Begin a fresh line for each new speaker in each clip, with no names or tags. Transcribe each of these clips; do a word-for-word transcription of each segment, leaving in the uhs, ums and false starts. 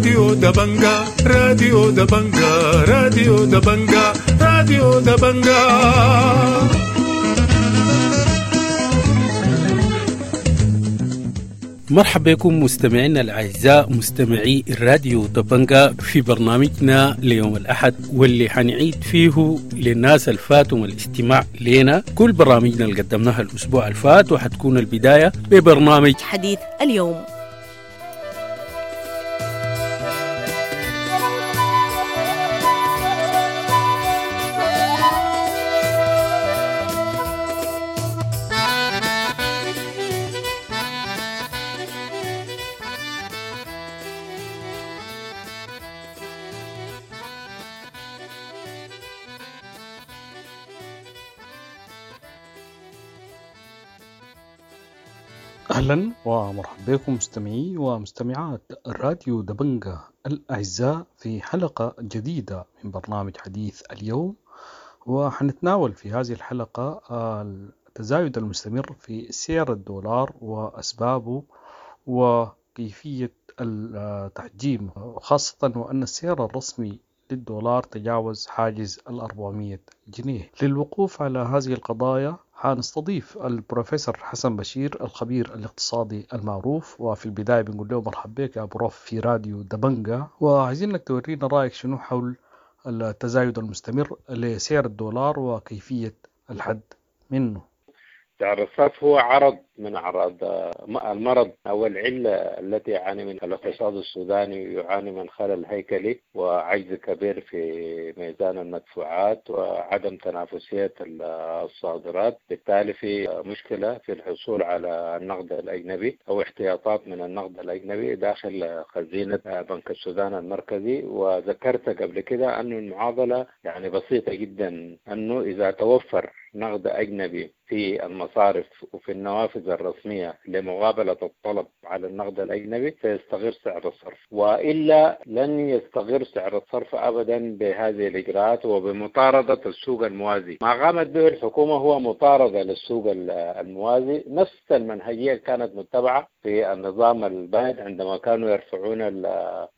راديو دبنجا راديو دبنجا راديو دبنجا راديو دبنجا.
مرحبا بكم مستمعينا الأعزاء مستمعي الراديو دبنجا في برنامجنا ليوم الأحد، واللي حنعيد فيه للناس الفاتهم الاستماع لنا كل برامجنا اللي قدمناها الأسبوع الفات، وحتكون البداية ببرنامج
حديث اليوم.
أهلا ومرحبا بكم مستمعي ومستمعات الراديو دبنجا الأعزاء في حلقة جديدة من برنامج حديث اليوم، وحنتناول في هذه الحلقة التزايد المستمر في سعر الدولار وأسبابه وكيفية التحجيم، خاصة وأن السعر الرسمي للدولار تجاوز حاجز الأربعمية جنيه. للوقوف على هذه القضايا حنستضيف البروفيسور حسن بشير الخبير الاقتصادي المعروف، وفي البداية بنقول له مرحبا بك يا بروف في راديو دبنجا، وعايزينك تورينا رأيك شنو حول التزايد المستمر لسعر الدولار وكيفية الحد منه.
سعر الصرف هو عرض من أعراض المرض أو العلة التي يعاني منها الاقتصاد السوداني، يعاني من خلل هيكلي وعجز كبير في ميزان المدفوعات وعدم تنافسية الصادرات، بالتالي في مشكلة في الحصول على النقد الأجنبي أو احتياطات من النقد الأجنبي داخل خزينة بنك السودان المركزي. وذكرت قبل كده أن المعادلة يعني بسيطة جدا، أنه إذا توفر نقد أجنبي في المصارف وفي النوافذ الرسمية لمقابلة الطلب على النقد الأجنبي سيستغر سعر الصرف، وإلا لن يستغر سعر الصرف أبدا بهذه الإجراءات وبمطاردة السوق الموازي. ما قامت به الحكومة هو مطاردة للسوق الموازي، نفس المنهجية كانت متبعة في النظام البائد عندما كانوا يرفعون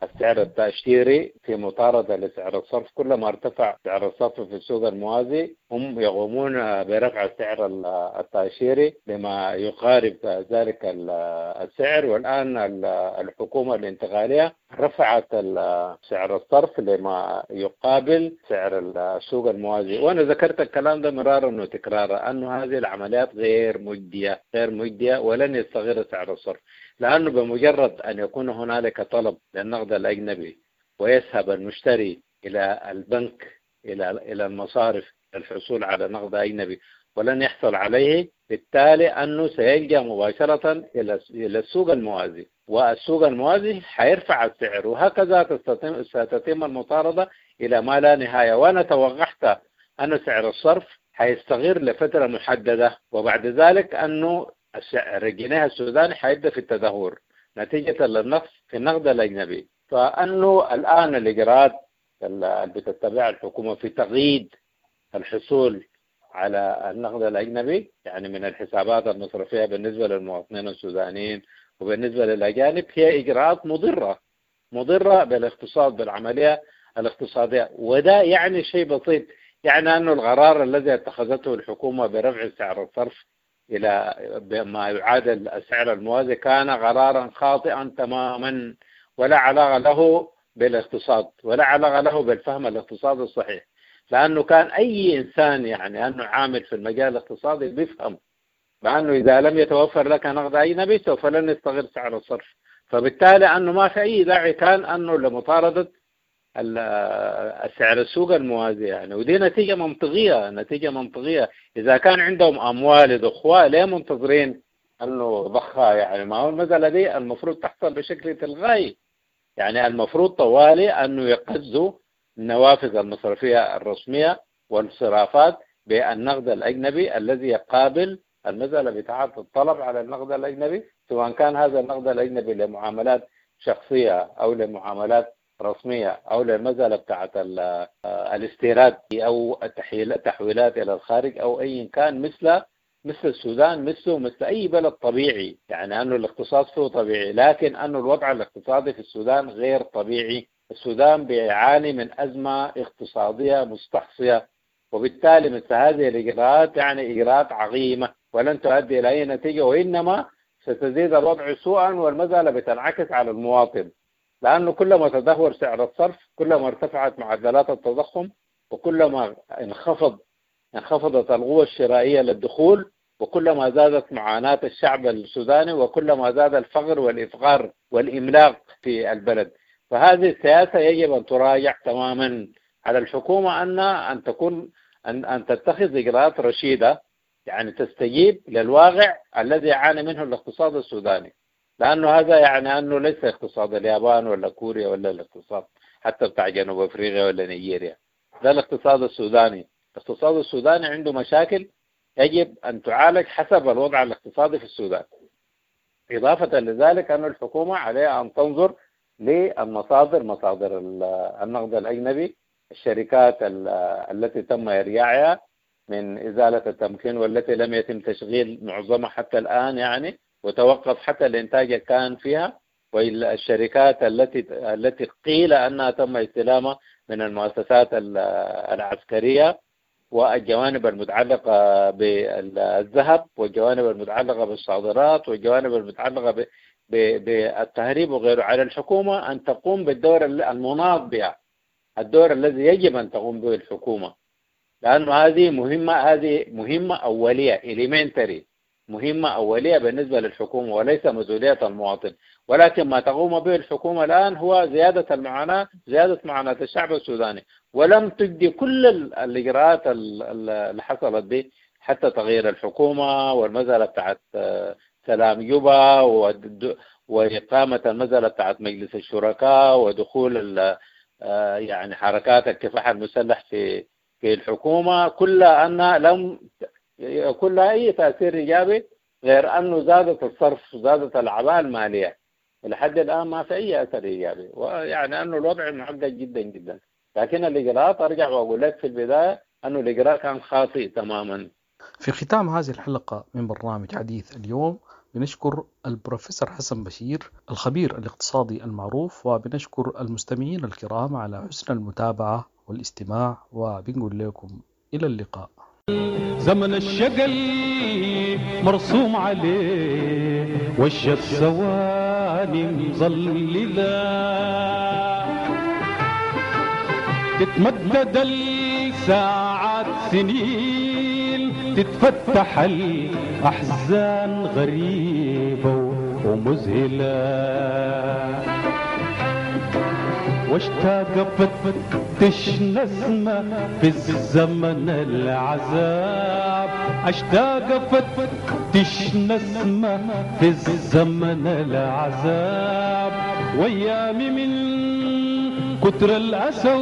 السعر التأشيري في مطاردة لسعر الصرف. كلما ارتفع سعر الصرف في السوق الموازي هم يقومون برفع السعر التأشيري لما يقارب ذلك السعر. والآن الحكومة الانتقالية رفعت سعر الصرف لما يقابل سعر السوق الموازي، وأنا ذكرت الكلام ده مرارا وتكرارا أن هذه العمليات غير مجدية غير مجدية ولن يستغر سعر الصرف، لأنه بمجرد أن يكون هنالك طلب للنقد الأجنبي ويذهب المشتري إلى البنك إلى إلى المصارف للحصول على نقد أجنبي ولن يحصل عليه، بالتالي أنه سيلجأ مباشرة إلى السوق الموازي، والسوق الموازي حيرفع السعر، وهكذا ستتم المطاردة إلى ما لا نهاية. وأنا توقعت أن سعر الصرف حيستغر لفترة محددة، وبعد ذلك أنه السعر الجنيه السوداني حيبدأ في التدهور نتيجة للنقص في النقد الأجنبي. فأنه الآن الإجراءات اللي بتتبعها الحكومة في تقييد الحصول على النقد الأجنبي، يعني من الحسابات المصرفية بالنسبة للمواطنين السودانيين وبالنسبة للأجانب، هي إجراءات مضرة مضرة بالاقتصاد بالعملية الاقتصادية. وده يعني شيء بسيط، يعني أنه القرار الذي اتخذته الحكومة برفع سعر الصرف إلى ما يعادل السعر الموازي كان قرارا خاطئا تماما، ولا علاقة له بالاقتصاد ولا علاقة له بالفهم الاقتصادي الصحيح، لأنه كان أي إنسان يعني أنه عامل في المجال الاقتصادي بيفهم بأنه إذا لم يتوفر لك نقد أجنبي سوف لن يستغر سعر الصرف، فبالتالي أنه ما في أي داعي كان أنه لمطاردة السعر السوق الموازي يعني. ودي نتيجة منطقية نتيجة منطقية. إذا كان عندهم أموال يضخوها ليه منتظرين أنه ضخها؟ يعني ما هو المسألة دي المفروض تحصل بشكل تلغائي، يعني المفروض طوالي أنه يقزوا النوافذ المصرفية الرسمية والصرافات بالنقد الأجنبي الذي يقابل المسألة بتاعة الطلب على النقد الأجنبي، سواء كان هذا النقد الأجنبي لمعاملات شخصية أو لمعاملات رسمية أو للمسألة بتاعة الاستيراد أو التحويلات إلى الخارج أو أي كان، مثل مثل السودان مثله مثل أي بلد طبيعي، يعني أنه الاقتصاد فيه طبيعي، لكن أنه الوضع الاقتصادي في السودان غير طبيعي. السودان بيعاني من أزمة اقتصادية مستحصية، وبالتالي مثل هذه الإجراءات يعني إجراءات عظيمة ولن تؤدي إلى أي نتيجة، وإنما ستزيد الوضع سوءا، والمسألة بتنعكس على المواطن، لأنه كلما تدهور سعر الصرف كلما ارتفعت معدلات التضخم، وكلما انخفض انخفضت القوة الشرائية للدخول، وكلما زادت معاناة الشعب السوداني، وكلما زاد الفقر والإفقار والإملاق في البلد. فهذه السياسة يجب أن تراجع تماما. على الحكومة أن أن تكون أن أن تتخذ إجراءات رشيدة، يعني تستجيب للواقع الذي يعاني منه الاقتصاد السوداني، لأنه هذا يعني أنه ليس اقتصاد اليابان ولا كوريا ولا الاقتصاد حتى بتاع جنوب أفريقيا ولا نيجيريا، ده الاقتصاد السوداني. الاقتصاد السوداني عنده مشاكل يجب أن تعالج حسب الوضع الاقتصادي في السودان. إضافة لذلك أن الحكومة عليها أن تنظر للمصادر، مصادر النقد الأجنبي، الشركات التي تم إرجاعها من إزالة التمكين والتي لم يتم تشغيل معظمها حتى الآن يعني، وتوقف حتى الإنتاج كان فيها، والشركات التي التي قيل أنها تم استلامها من المؤسسات العسكرية، والجوانب المتعلقة بالذهب، والجوانب المتعلقة بالصادرات، والجوانب المتعلقة بالتهريب وغيره. على الحكومة أن تقوم بالدور المناط بها، الدور الذي يجب أن تقوم به الحكومة، لأنه هذه مهمة، هذه مهمة أولية، elementary، مهمة أولية بالنسبة للحكومة وليس مسؤولية المواطن. ولكن ما تقوم به الحكومة الآن هو زيادة المعاناة، زيادة معاناة الشعب السوداني، ولم تجدي كل الإجراءات اللي حصلت به، حتى تغيير الحكومة والمسألة بتاعت سلام جوبا وإقامة المسألة بتاعت مجلس الشركاء ودخول يعني حركات الكفاح المسلح في في الحكومة، كلها أنها لم يكون لها أي تأثير إيجابي غير أنه زادت الصرف، زادت الأعباء المالية. لحد الآن ما في أي أثر إيجابي، ويعني أنه الوضع معقد جدا جدا. لكن الإجراءات أرجع وأقول لك في البداية أنه الإجراء كان خاطئ تماما.
في ختام هذه الحلقة من برنامج حديث اليوم بنشكر البروفيسور حسن بشير الخبير الاقتصادي المعروف، وبنشكر المستمعين الكرام على حسن المتابعة والاستماع، وبنقول لكم إلى اللقاء.
زمن الشقل مرسوم عليه وش الثواني مظللة، تتمدد الساعات سنين، تتفتح الأحزان غريبة ومذهلة، واشتاق فتش نسمة في الزمن العذاب، اشتاق فتش نسمة في الزمن العذاب، وايامي من كتر الأسى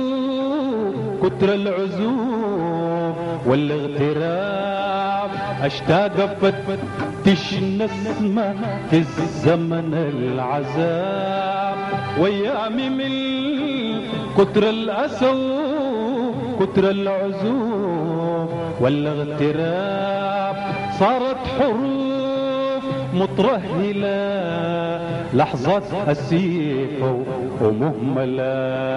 كتر العزوب والاغتراب، اشتاق فتش نسمة في الزمن العذاب، وايامي من كتر الأسى كتر العزوب والاغتراب، صارت حروف مترهلة لحظات أسيفة ومهملة.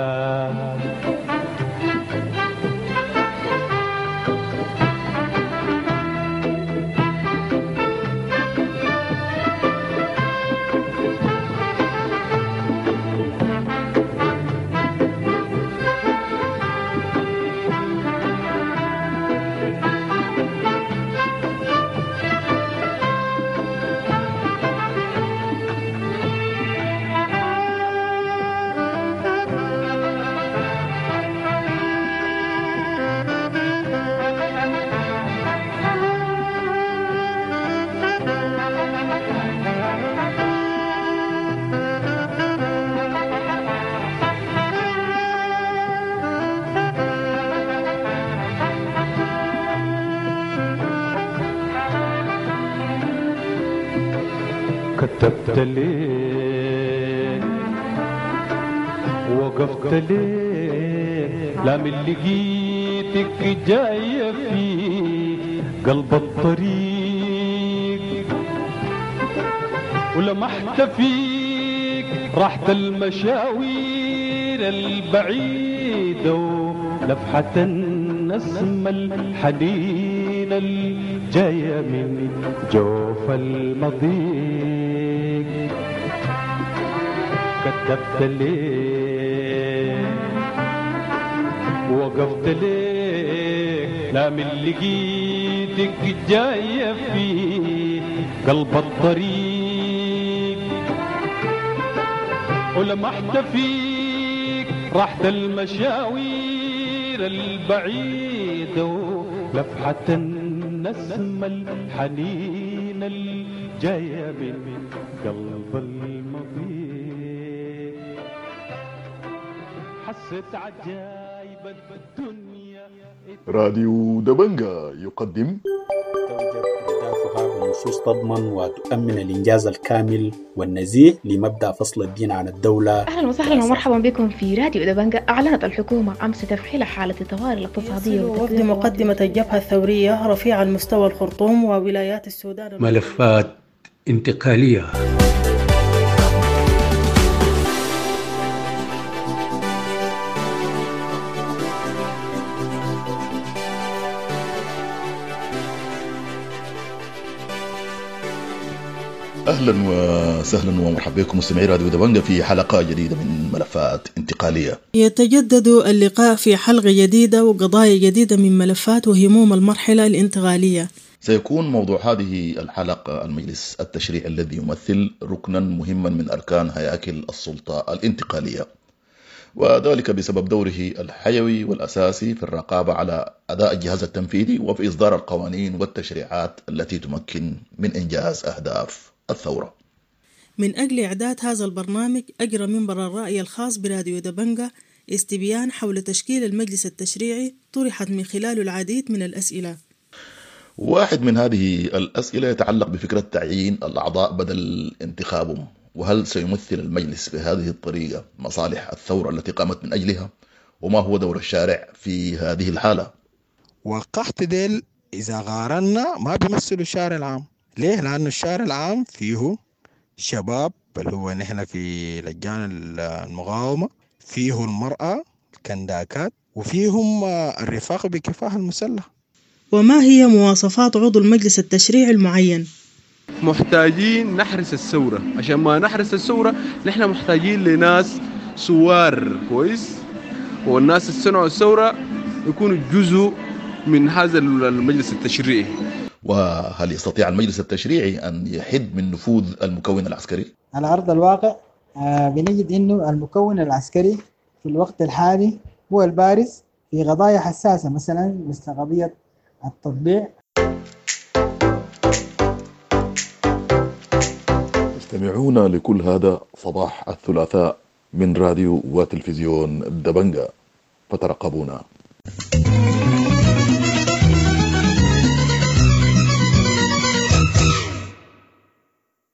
كتبت ليه وقفت ليه لا من لقيتك جاية في قلب الطريق. ولمحت فيك راحة المشاوير البعيدة ولفحة النسمة الحنينة الجاية من جوف المضيق. كتبت ليه وقفت ليه لا من لقيتك جاية في قلب الطريق، ولمحت فيك راحة المشاوير البعيدة ولفحة النسمة الحنينة الجاية من قلب المضيق. حسيت عجايب الدنيا.
راديو دبنجا يقدم
توجد أهدافها بنصوص تضمن وتؤمن الإنجاز الكامل والنزيه لمبدأ فصل الدين عن الدولة.
أهلا وسهلا ومرحبا بكم في راديو دبنجا. أعلنت الحكومة أمس تفعيل حالة الطوارئ الاقتصادية
وفد مقدمة الجبهة الثورية رفيع المستوى الخرطوم وولايات السودان.
ملفات انتقالية.
اهلا وسهلا ومرحبا بكم مستمعي راديو دبنجا في حلقة جديدة من ملفات انتقالية.
يتجدد اللقاء في حلقة جديدة وقضايا جديدة من ملفات وهموم المرحلة الانتقالية.
سيكون موضوع هذه الحلقة المجلس التشريعي الذي يمثل ركنا مهما من اركان هياكل السلطة الانتقالية، وذلك بسبب دوره الحيوي والاساسي في الرقابة على اداء الجهاز التنفيذي وفي اصدار القوانين والتشريعات التي تمكن من انجاز اهداف الثورة.
من أجل إعداد هذا البرنامج أجرى منبر الرأي الخاص براديو دبنجا استبيان حول تشكيل المجلس التشريعي طرحت من خلاله العديد من الأسئلة.
واحد من هذه الأسئلة يتعلق بفكرة تعيين الأعضاء بدل انتخابهم، وهل سيمثل المجلس بهذه الطريقة مصالح الثورة التي قامت من أجلها؟ وما هو دور الشارع في هذه الحالة؟
وقحت ديل إذا قارنا ما بيمثلوا الشارع العام. ليه؟ لأنه الشارع العام فيه شباب اللي هو نحن في لجان المقاومة، فيه المرأة الكنداكات، وفيهم الرفاق بكفاح المسلح.
وما هي مواصفات عضو المجلس التشريعي المعين؟
محتاجين نحرس الثورة، عشان ما نحرس الثورة نحن محتاجين لناس سوار كويس، والناس اللي صنعوا الثورة يكونوا جزء من هذا المجلس التشريعي.
وهل يستطيع المجلس التشريعي أن يحد من نفوذ المكون العسكري؟
على أرض الواقع بنجد أنه المكون العسكري في الوقت الحالي هو البارز في قضايا حساسة، مثلا مثل قضية التطبيع.
تستمعون لكل هذا صباح الثلاثاء من راديو وتلفزيون دبنجا، فترقبونا.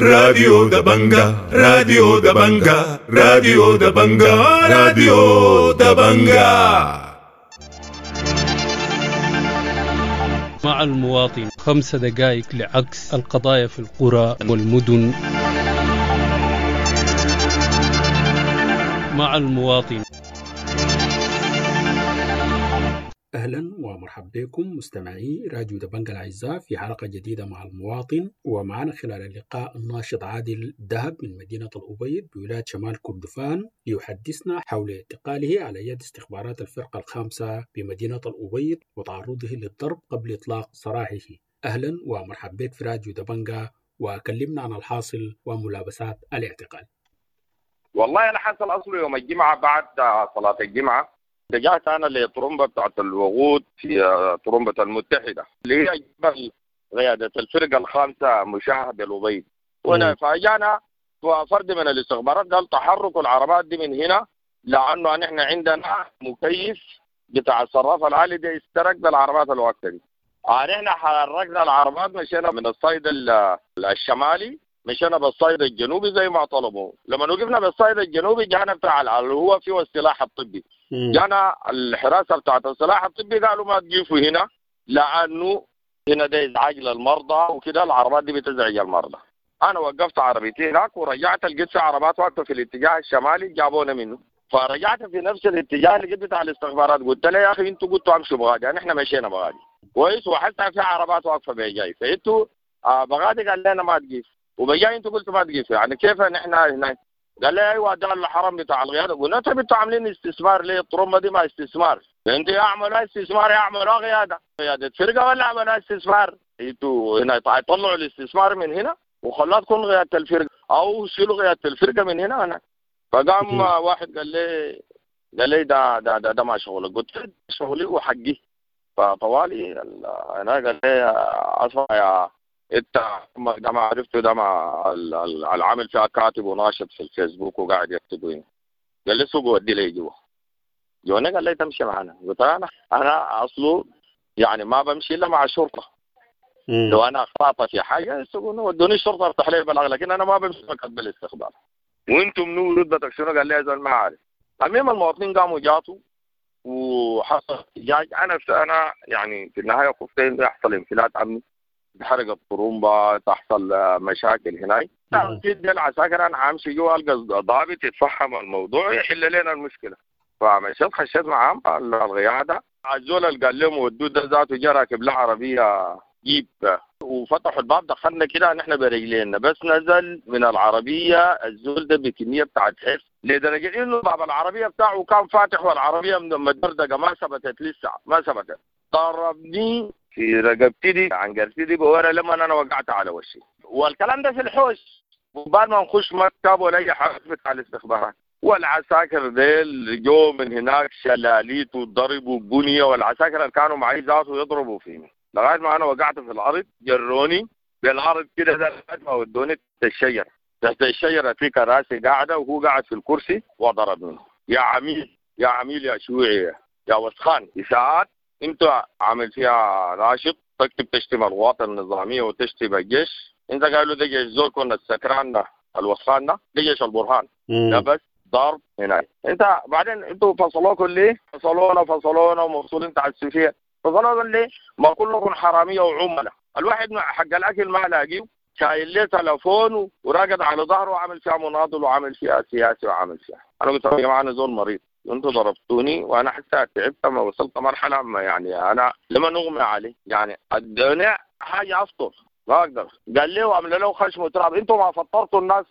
راديو دبنجا، راديو دبنجا، راديو دبنجا، راديو دبنجا.
مع المواطن خمس دقائق لعكس القضايا في القرى والمدن. مع المواطن.
أهلا ومرحبا بكم مستمعي راديو دبنجا الأعزاء في حلقة جديدة مع المواطن، ومعنا خلال اللقاء الناشط عادل دهب من مدينة الأبيض بولاية شمال كردفان ليحدثنا حول اعتقاله على يد استخبارات الفرقة الخامسة بمدينة الأبيض وتعرضه للضرب قبل إطلاق سراحه. أهلا ومرحبا بك في راديو دبنجا، وكلمنا عن الحاصل وملابسات الاعتقال.
والله أنا حصل أصله يوم الجمعة بعد صلاة الجمعة اتجهت انا لطرمبه بتاعت الوقود في طرمبه المتحدة اللي هي جبل قيادة الفرقة الخامسة مشاهد بالأبيض، وانا فاجانا فرد من الاستخبارات قال تحركوا العربات دي من هنا لانه نحن عندنا مكيف بتاع الصراف العالي ده استرق بالعربات الوقت دي. نحن حركنا العربات مشينا من الصيد الشمالي مشينا بالصيد الجنوبي زي ما طلبوا. لما وقفنا بالصيد الجنوبي جانا بتاع اللي هو فيه السلاح الطبي، جانا الحراسة بتاعت السلاح الطبي قالوا ما تقيفوا هنا لانه هنا ده ازعاج للمرضى وكده، العربات دي بتزعج المرضى. انا وقفت عربيتي هناك ورجعت لقيت في عربات واقفة في الاتجاه الشمالي جابونا منه. فرجعت في نفس الاتجاه لقيت بتاع الاستخبارات، قلت له يا اخي انتوا قلتوا امشوا بغادي، يعني احنا مشينا بغادي كويس، وحتى في عربات واقفة بجاي، فانتوا آه بغادي قال لنا ما تقيف، وبجاي انتوا قلتوا ما تقيفوا، يعني كيف نحن هناك؟ قال لي ايوه ده الحرم بتاع القيادة. قلنا طيب انتوا عاملين استثمار ليه؟ الطرمبه دي ما استثمار، انتوا يا اعملوا استثمار يا اعملوا قيادة، قيادة فرقه ولا اعملوا استثمار؟ انتوا هنا طلعوا الاستثمار من هنا وخلوها تكون قيادة الفرقة، او شيلوا قيادة الفرقة من هنا هنا. فقام واحد قال لي قال لي ده ده ده, ده ما شغلك. قلت له شغلي وحقي. فطوالي انا قال لي اصلا يا انت ده ما عرفته، ده ما العامل فيها كاتب وناشط في الفيسبوك وقاعد يكتب هنا. قال لي سوق ودي لي جوا. جوانا قال لي تمشي معنا. قلت له انا انا اصله يعني ما بمشي الا مع الشرطة. لو انا اخطأت في حاجة ودوني الشرطة افتح لي بلاغ، لكن انا ما بمشي مكتب الاستخبار. وانتم منو رتبتك شنو؟ قال لي يا زول ما عارف. المهم المواطنين قاموا جاتوا وحصل احتجاج. انا انا يعني في النهاية خفت انه يحصل انفلات امني، تحرق الطرمبه، تحصل مشاكل هناك. اكيد العساكر انا حامشي جوا القى ضابط يتفهم الموضوع يحل لنا المشكلة. فمشيت خشيت معاهم القيادة. الزول اللي قال لهم ودوه ده ذاته جا راكب له عربية جيب، وفتحوا الباب دخلنا كده نحن برجلينا، بس نزل من العربية الزول ده بكمية بتاعت حس لدرجة انه باب العربية بتاعه كان فاتح والعربية مدردقه ما ثبتت لسه، ما ثبتت. ضربني في رقبتي دي عنقرتي دي بورا لما انا وقعت على وشي، والكلام ده في الحوش وبعد ما نخش مكتب ولا اي حاجة بتاع الاستخبارات. والعساكر ديل جو من هناك شلاليت وضربوا وبنيه، والعساكر اللي كانوا معي ذاته يضربوا فيني لغاية ما انا وقعت في الارض. جروني بالارض كده لغاية ما ودوني تحت الشجرة. تحت الشجرة في كراسي قاعدة وهو قاعد في الكرسي وضربني. يا عميل يا عميل يا شيوعي يا وسخان، اساءات انت عامل فيها ناشط تكتب تشتم القوات النظامية وتشتم الجيش. انت قالوا ده جيش زول كنا السكران ده الوسخان ده ده جيش البرهان ده بس ضرب هناك. انت بعدين انتوا فصلوكم ليه؟ فصلونا فصلونا ومفصولين تعسفيه. فصلونا ليه؟ ما كلكم حرامية وعملاء. الواحد حق الاكل ما لاقيه، شايل ليه تلفون وراقد على ظهره وعامل فيها مناضل وعامل فيها سياسي وعامل فيها. انا قلت يا جماعة انا زول مريض، انتوا ضربتوني وانا حتى تعبت، ما وصلت مرحلة ما يعني انا لما نغمى علي يعني ادوني حاجة افطر ما اقدر. قال لي وعمل له خشم تراب، انتوا ما فطرتوا الناس،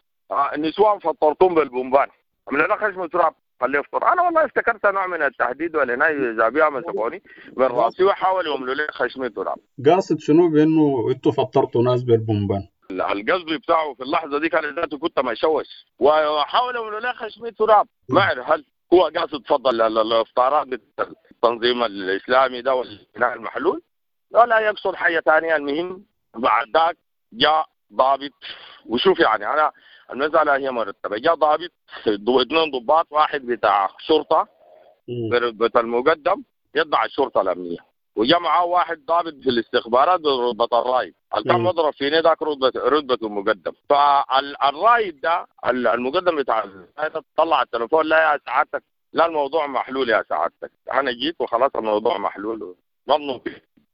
النسوان فطرتهم بالبومبان، عمل له خشم تراب خليه يفطر. انا والله افتكرت نوع من التهديد ولا ناي زابيها مسكوني من راسي وحاولوا يعملوا لي خشم تراب.
قاصد شنو بانه انتوا فطرتوا ناس بالبومبان؟
القصد بتاعه في اللحظة دي كان ذاته كنت مشوش وحاولوا يعملوا لي خشم تراب. ما اعرف هل هو قاصد تفضل الافطارات التنظيم الاسلامي ده والبناء المحلول ولا يقصد حاجة ثانية. المهم بعد ذاك جاء ضابط، وشوف يعني انا المسالة هي مرتبه، جاء ضابط اثنين ضباط، واحد بتاع شرطه برتبة المقدم يتبع الشرطة الامنية، وجاء معاه واحد ضابط في الاستخبارات برتبة الرايد، اللي كان مضرب فيني ذاك رتبه رتبه المقدم. فالرايد ده المقدم بتاع طلع التليفون، لا يا سعادتك، لا الموضوع محلول يا سعادتك، انا جيت وخلاص الموضوع محلول. ظنوا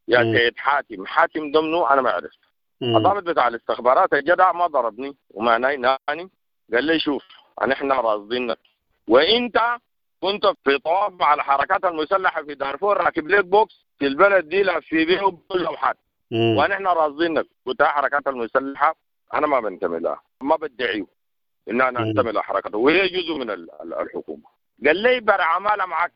يا سيد حاتم، حاتم ضمنه انا ما عرفت. الضابط بتاع الاستخبارات الجدع ما ضربني وما نايناني، قال لي شوف نحن راصدينك وانت كنت في طواف مع الحركات المسلحة في دارفور راكب لك بوكس في البلد دي لفي بيه لوحات ونحن راصدينك. قلت حركات المسلحة انا ما بنتمي لها، ما بدعية ان انا انتمي لحركته وهي جزء من الحكومة. قال لي برعماله معك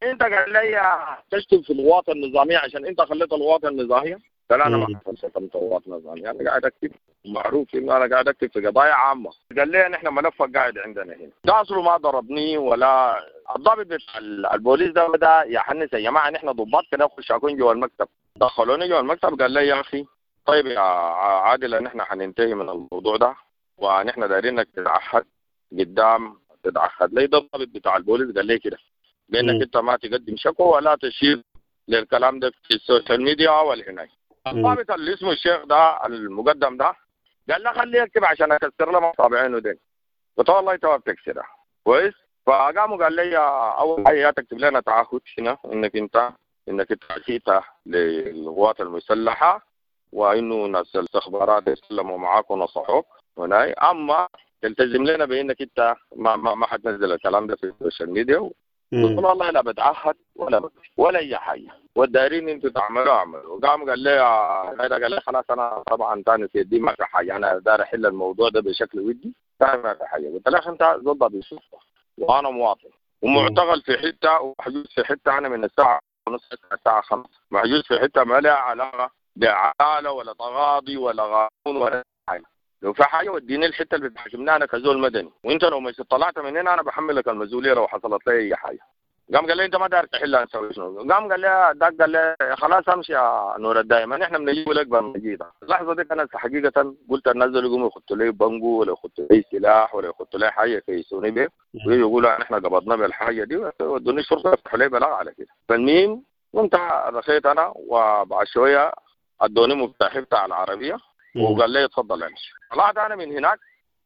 انت، قال لي تشتم في القوات النظامية عشان انت خليت القوات النظامية. قال انا ما شتمت قوات نظامية، انا قاعد اكتب معروف انه انا قاعد اكتب في قضايا عامة. قال لي نحن ملفك قاعد عندنا هنا. ده اصله ما ضربني ولا الضابط بتاع البوليس ده بدا يحنس يا جماعة نحن ضباط كده نخش اكون جوا المكتب. دخلوني جوا المكتب قال لي يا اخي طيب يا عادل نحن حننتهي من الموضوع ده ونحن دايرينك تتعهد قدام، تتعهد لي. ده الضابط بتاع البوليس قال لي كده بانك انت ما تقدم شكوى ولا تشير للكلام ده في ال social media ولا هناك. الضابط اللي اسمه الشيخ ده المقدم ده قال له خليه يكتب عشان اكسر له مصابعينه دين. قلت له والله انت ما بتكسرها كويس. فقاموا قال لي اول حاجة تكتب لنا تعهد هنا انك انت انك انت اسيت للقوات المسلحة وانه ناس الاستخبارات يسلموا معاك ونصحوك، هناي، اما تلتزم لنا بانك انت ما ما, ما حتنزل الكلام ده في ال social media. قلت له والله لا بتعهد ولا بت... ولا اي حاجة، والدايرين انتوا تعملوا اعملوا. قام قال لي قال لي خلاص انا طبعا ثاني في يدي ما في حاجة، انا داير احل الموضوع ده بشكل ودي، ثاني ما في حاجة. قلت له انت زول ضابط شرطه وانا مواطن ومعتقل في حتة ومحجوز في حتة، انا من الساعة ونص الساعة خمسة محجوز في حتة ما لها علاقة بعداله ولا تغاضي ولا قانون ولا حاجة. لو في حاجة وديني الحتة اللي بتحاكمني انا كزول مدني، وانت لو مش طلعت من هنا انا بحملك المسؤولية لو حصلت لي اي حاجة. قام قال لي انت ما داير تحلها نسوي شنو؟ قام قال لي داك قال لي خلاص امشي يا نور الدايم، نحن بنجيب لك بالمجيده. اللحظة دي انا حقيقة قلت الناس دول يقوموا يخطوا لي بنجو ولا يخطوا لي سلاح ولا يخطوا لي حاجة يكيسوني به ويقولوا نحن قبضنا بالحاجة دي ودوني الشرطة يفتحوا لي بلاغ على كده. فالمهم قمت رخيت انا، وبعد شوية ادوني مفتاحي بتاع العربية وقال لي اتفضل امشي. طلعت انا من هناك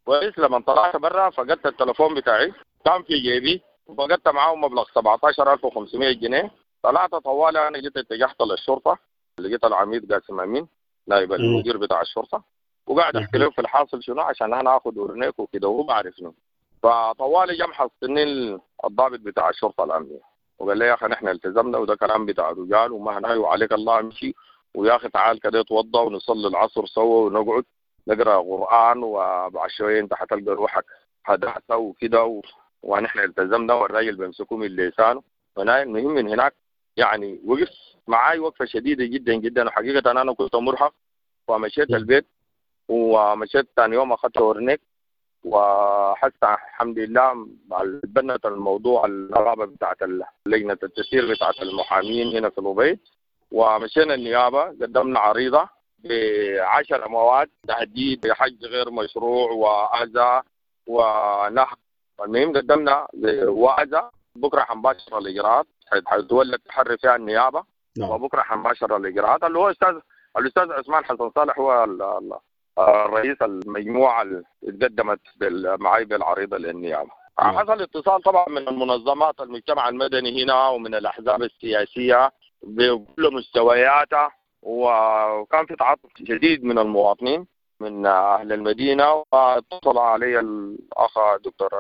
كويس. لما طلعت برا فقدت التليفون بتاعي كان في جيبي، وفقدت معاه مبلغ سبعة عشر ألف وخمسمية جنيه. طلعت طوالي انا جيت اتجهت للشرطة، لقيت العميد قاسم امين نائب المدير بتاع الشرطة، وقاعد احكي له في الحاصل شنو عشان انا اخذ اورنيك وكده وهو بعرف شنو. فطوالي جم حصلني الضابط بتاع الشرطة الامنية وقال لي يا اخي نحن التزمنا وده كلام بتاع رجال وما هناي وعليك الله امشي، ويا اخي تعال كده اتوضى ونصلي العصر سوا ونقعد نقرا قران، وبعد شوية انت حتلقى روحك هدأت وكده و... ونحن التزمنا والراجل بيمسكوه من لسانه. فانا المهم من هناك يعني وقف معاي وقفه شديدة جدا جدا، وحقيقة انا كنت مرهق. ومشيت البيت ومشيت ثاني يوم اخذت اورنيك، وحتى الحمد لله بنت الموضوع النقابة بتاعت لجنة التسيير بتاعت المحامين هنا في الأبيض، ومشينا النيابة قدمنا عريضة بعشر مواد تهديد بحج غير مشروع واذى ونهب. المهم قدمنا وأذى، بكره حنباشر الاجراءات، حيتولى التحري فيها النيابة. نعم. وبكره حنباشر الاجراءات. اللي هو استاذ الاستاذ عثمان حسن صالح هو الرئيس المجموعة اللي اتقدمت معي بالعريضه للنيابه. نعم. حصل اتصال طبعا من المنظمات المجتمع المدني هنا ومن الاحزاب السياسية بكل مستوياتها، وكان في تعاطف شديد من المواطنين من أهل المدينة. واتصل علي الأخ دكتور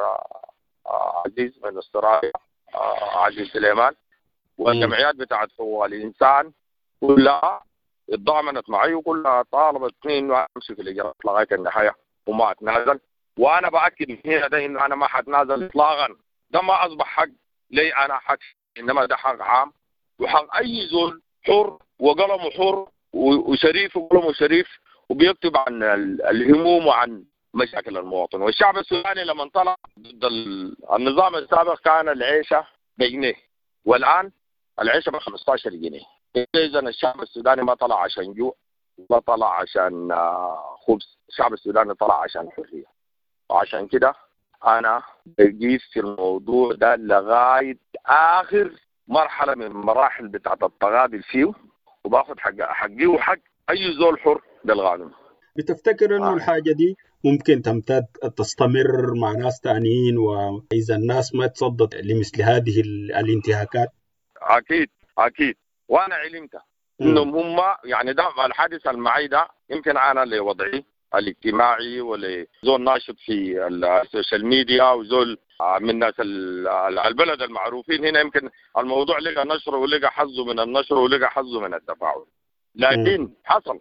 عزيز من استراليا، عزيز سليمان، والجمعيات بتاعت حقوق الإنسان كلها اتضامنت معي وكلها طالبت إنه أمشي في الإجراءات لغاية النهاية وما أتنازل. وأنا بأكد من هنا ده إنه أنا ما حتنازل إطلاقا. ده ما أصبح حق لي أنا حق، إنما ده حق عام وحق أي زول حر وقلمه حر وشريف وقلمه شريف وبيكتب عن الهموم وعن مشاكل المواطن. والشعب السوداني لما طلع ضد النظام السابق كان العيشة بجنيه، والآن العيشة ب خمسة عشر جنيه. إذا الشعب السوداني ما طلع عشان جوع، ما طلع عشان خبز، الشعب السوداني طلع عشان حرية. وعشان كده أنا بجيب في الموضوع ده لغاية آخر مرحلة من المراحل بتاعت التغاضي فيه، وباخد حق حقي وحق أي زول حر بالقانون.
بتفتكر إنه آه. الحاجة دي ممكن تمتد تستمر مع ناس تانيين، وإذا الناس ما تصدت لمثل هذه الانتهاكات؟
أكيد أكيد، وأنا علمت إنهم هم يعني ده الحادث المعي ده يمكن أنا لوضعي الاجتماعي ولزول ناشط في ال social media وزول من ناس البلد المعروفين هنا، يمكن الموضوع لقى نشره ولقى حظه من النشر ولقى حظه من التفاعل. لكن حصل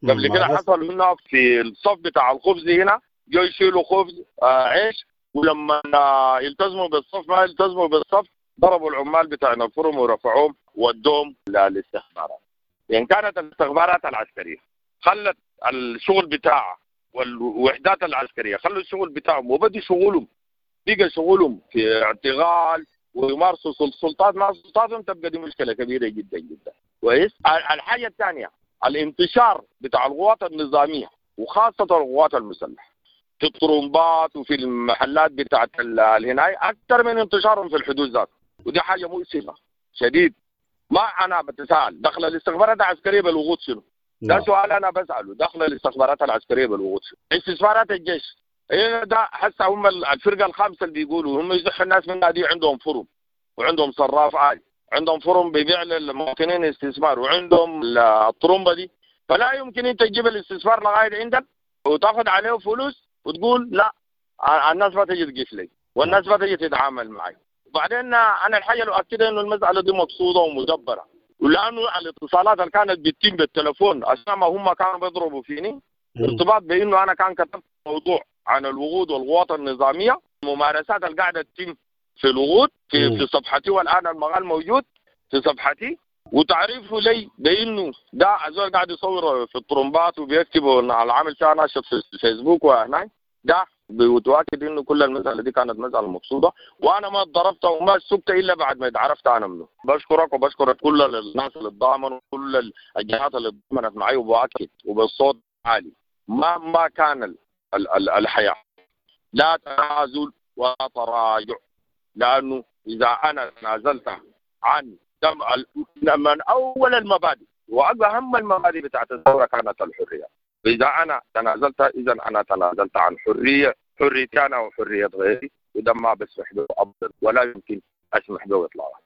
قبل كده، حصل هنا في الصف بتاع الخبز هنا جو يشيلوا خبز آه عيش، ولما يلتزموا بالصف ما يلتزموا بالصف ضربوا العمال بتاع الفرم ورفعوهم ودوهم للاستخبارات. يعني كانت الاستخبارات العسكرية خلت الشغل بتاعها والوحدات العسكرية خلوا الشغل بتاعهم وبدوا شغلهم، بقى شغلهم في اعتقال ويمارسوا السلطات مع سلطاتهم، تبقى دي مشكلة كبيرة جدا جدا. كويس. الحاجة الثانية الانتشار بتاع القوات النظامية وخاصة القوات المسلحة في الطرمبات وفي المحلات بتاعت الهناي اكثر من انتشارهم في الحدود ذات، ودي حاجة مؤسفة شديد. ما انا بتساءل دخل الاستخبارات العسكرية بالوقود شنو؟ ده سؤال انا بساله، دخل الاستخبارات العسكرية بالوقود شنو؟ استثمارات الجيش إيه ده؟ هسه هم الفرقة الخامسة اللي بيقولوا هم يزحوا الناس منها دي، عندهم فرم وعندهم صراف عالي، عندهم فرم بيبيع للمواطنين استثمار، وعندهم الطرمبه دي. فلا يمكن انت تجيب الاستثمار لغاية عندك وتاخذ عليه فلوس وتقول لا الناس ما تجي تقيف لي والناس ما تجي تتعامل معي. وبعدين انا الحاجة اللي اؤكدها انه المسالة دي مقصوده ومدبره، ولانه الاتصالات اللي كانت بتتم بالتليفون عشان ما هم كانوا بيضربوا فيني ارتباط بانه انا كان كتبت موضوع عن الوقود والقوات النظامية، الممارسات اللي قاعدة تتم في الوقود في, في صفحتي، والان المقال موجود في صفحتي، وتعريفه لي بانه ده زول قاعد يصور في الطرمبات وبيكتب على عامل فيها ناشط في الفيسبوك وهناك ده بيتاكد انه كل المسالة دي كانت مسالة مقصوده، وانا ما اتضربت وما سكت الا بعد ما اتعرفت انا منه. بشكرك وبشكر كل الناس اللي اتضامنوا وكل الجهات اللي اتضامنت معي، وباكد وبالصوت عالي مهما كان ال ال الحياة لا تنازل ولا تراجع، لانه اذا انا تنازلت عن من اول المبادئ واهم المبادئ بتاعت الثورة كانت الحرية، فاذا انا تنازلت اذا انا تنازلت عن حرية حريتي انا وحريه غيري، وده ما بسمح به ابدا ولا يمكن اسمح به اطلاقا.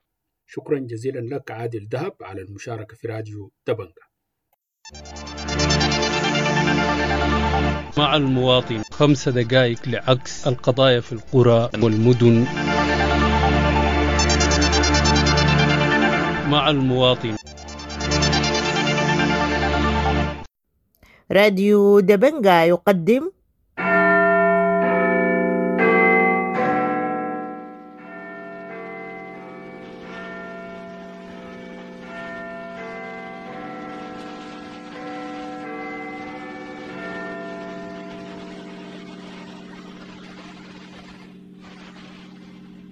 شكرا جزيلا لك عادل دهب على المشاركة في راديو دبنجة.
مع المواطن خمس دقائق لعكس القضايا في القرى والمدن. مع المواطن
راديو دبنجا يقدم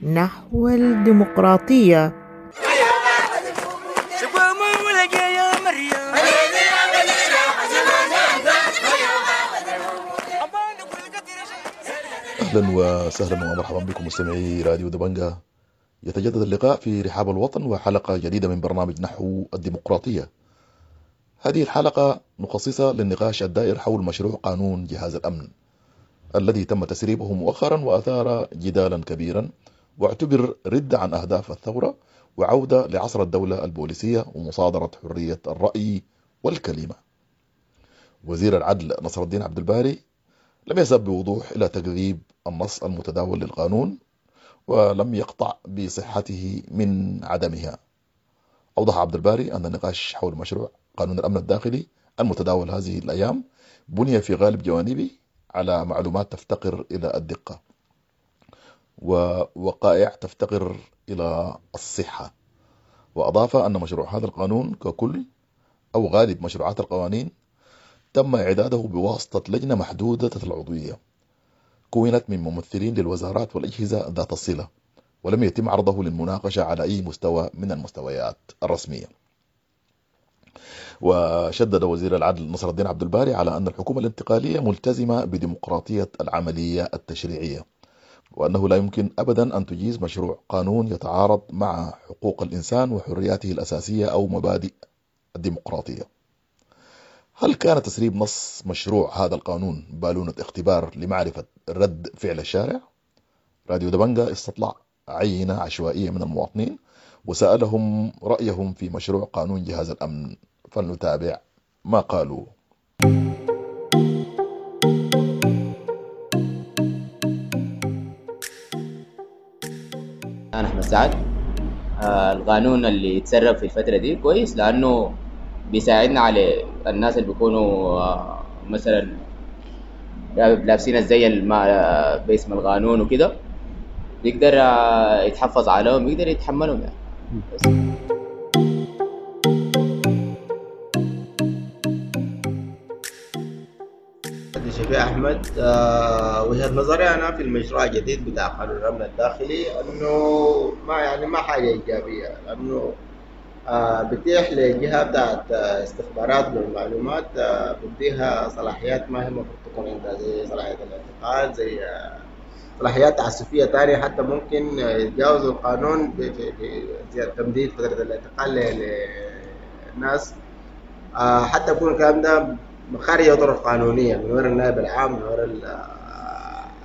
نحو الديمقراطية.
أهلا وسهلا ومرحبا بكم مستمعي راديو دبنجا. يتجدد اللقاء في رحاب الوطن وحلقة جديدة من برنامج نحو الديمقراطية. هذه الحلقة مخصصة للنقاش الدائر حول مشروع قانون جهاز الأمن الذي تم تسريبه مؤخرا وأثار جدالا كبيرا، واعتبر رد عن أهداف الثورة وعودة لعصر الدولة البوليسية ومصادرة حرية الرأي والكلمة. وزير العدل نصر الدين عبد الباري لم يذهب بوضوح إلى تكذيب النص المتداول للقانون ولم يقطع بصحته من عدمها. أوضح عبد الباري أن النقاش حول مشروع قانون الأمن الداخلي المتداول هذه الأيام بني في غالب جوانبه على معلومات تفتقر إلى الدقة ووقائع تفتقر إلى الصحة. وأضاف أن مشروع هذا القانون ككل أو غالب مشروعات القوانين تم إعداده بواسطة لجنة محدودة العضوية كونت من ممثلين للوزارات والأجهزة ذات الصلة، ولم يتم عرضه للمناقشة على أي مستوى من المستويات الرسمية. وشدد وزير العدل نصر الدين عبد الباري على أن الحكومة الانتقالية ملتزمة بديمقراطية العملية التشريعية، وأنه لا يمكن أبدا أن تجيز مشروع قانون يتعارض مع حقوق الإنسان وحرياته الأساسية أو مبادئ الديمقراطية. هل كان تسريب نص مشروع هذا القانون بالونة اختبار لمعرفة رد فعل الشارع؟ راديو دبنجا استطلع عينة عشوائية من المواطنين وسألهم رأيهم في مشروع قانون جهاز الأمن، فلنتابع ما قالوا.
أنا أحمد سعد. آه القانون اللي يتسرب في الفترة دي كويس، لأنه بيساعدنا على الناس اللي بيكونوا آه مثلا لابسين الزي الما باسم القانون وكده، بيقدر آه يتحفظ عليهم، يقدر يتحملهم يعني. بس.
شفيع أحمد. آه وجهة نظري أنا في المشروع الجديد بتاع قانون الأمن الداخلي أنه ما يعني ما حاجة إيجابية، لأنه آه بتيح لجهة بتاعت استخبارات والمعلومات، آه بديها صلاحيات ما هي المفروض تكون عندها، زي صلاحية الاعتقال، زي آه صلاحيات تعسفية تانية، حتى ممكن يتجاوزوا القانون في تمديد فترة الاعتقال للناس، آه حتى يكون الكلام ده خارج طرق قانونية من وراء النائب العام، من وراء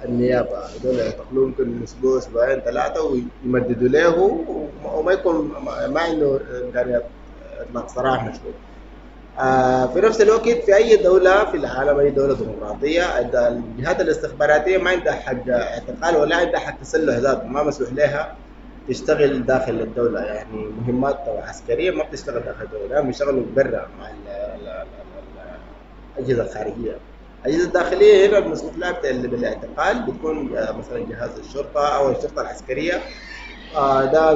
النيابة. هذول يعتقلوه ممكن أسبوع أسبوعين ثلاثة ويمددوا له، وما يكون ما عنده إمكانيات إطلاق سراح مشروع. آه في نفس الوقت في أي دولة في العالم، أي دولة ديمقراطية، الجهات الاستخباراتية ما عندها حق اعتقال ولا عندها حق تسلح ذاته، ما مسموح لها تشتغل داخل الدولة، يعني مهمات عسكرية ما بتشتغل داخل الدولة، بيشتغلوا برا مع الأجهزة الخارجية. الأجهزة الداخلية هنا المسموح لها بالاعتقال بتكون مثلا جهاز الشرطة أو الشرطة العسكرية، ده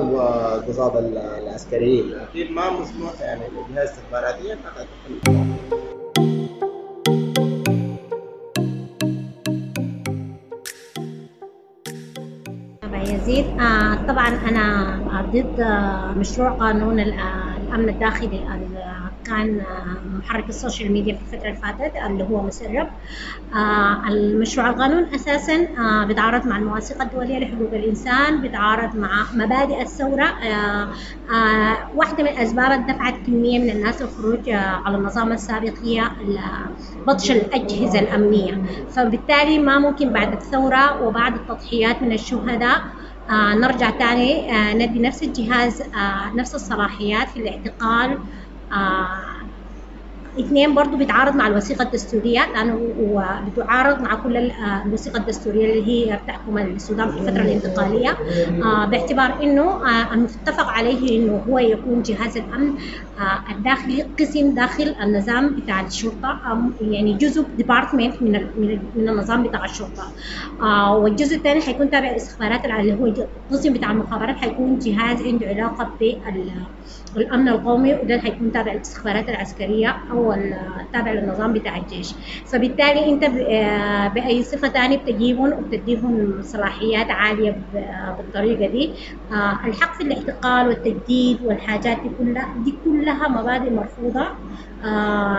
قصاد العسكريين، لكن ما مسموح يعني الجهاز الاستخباراتية انها تعتقل.
يزيد آه طبعا انا ضد مشروع قانون الامن الداخلي اللي كان محرك ال social media في الفترة اللي فاتت اللي هو مسرب. آه المشروع القانون اساسا آه بيتعارض مع المواثيق الدولية لحقوق الانسان، بيتعارض مع مبادئ الثورة. آه آه واحدة من الاسباب اللي دفعت كمية من الناس للخروج آه على النظام السابق هي بطش الاجهزة الامنية، فبالتالي ما ممكن بعد الثورة وبعد التضحيات من الشهداء آه نرجع تاني آه ندي نفس الجهاز آه نفس الصلاحيات في الاعتقال. آه اثنين برضو بيتعارض مع الوثيقة الدستورية، لأنه بتعارض مع كل الوثيقة الدستورية اللي هي بتحكم السودان في الفترة الانتقالية، آه باعتبار إنه آه المتفق عليه إنه هو يكون جهاز الأمن آه الداخلي قسم داخل النظام بتاع الشرطة، يعني جزء ديبارتمنت من من النظام بتاع الشرطة. آه والجزء الثاني حيكون تابع الاستخبارات اللي هو القسم بتاع المخابرات، حيكون جهاز عنده علاقة بالأمن القومي، وده حيكون تابع الاستخبارات العسكرية أو التابع للنظام بتاع الجيش. فبالتالي انت باي صفة ثانية بتجيبهم وبتديهم صلاحيات عالية بالطريقة دي. الحق في الاعتقال والتجديد والحاجات دي كلها دي كلها مبادئ مرفوضة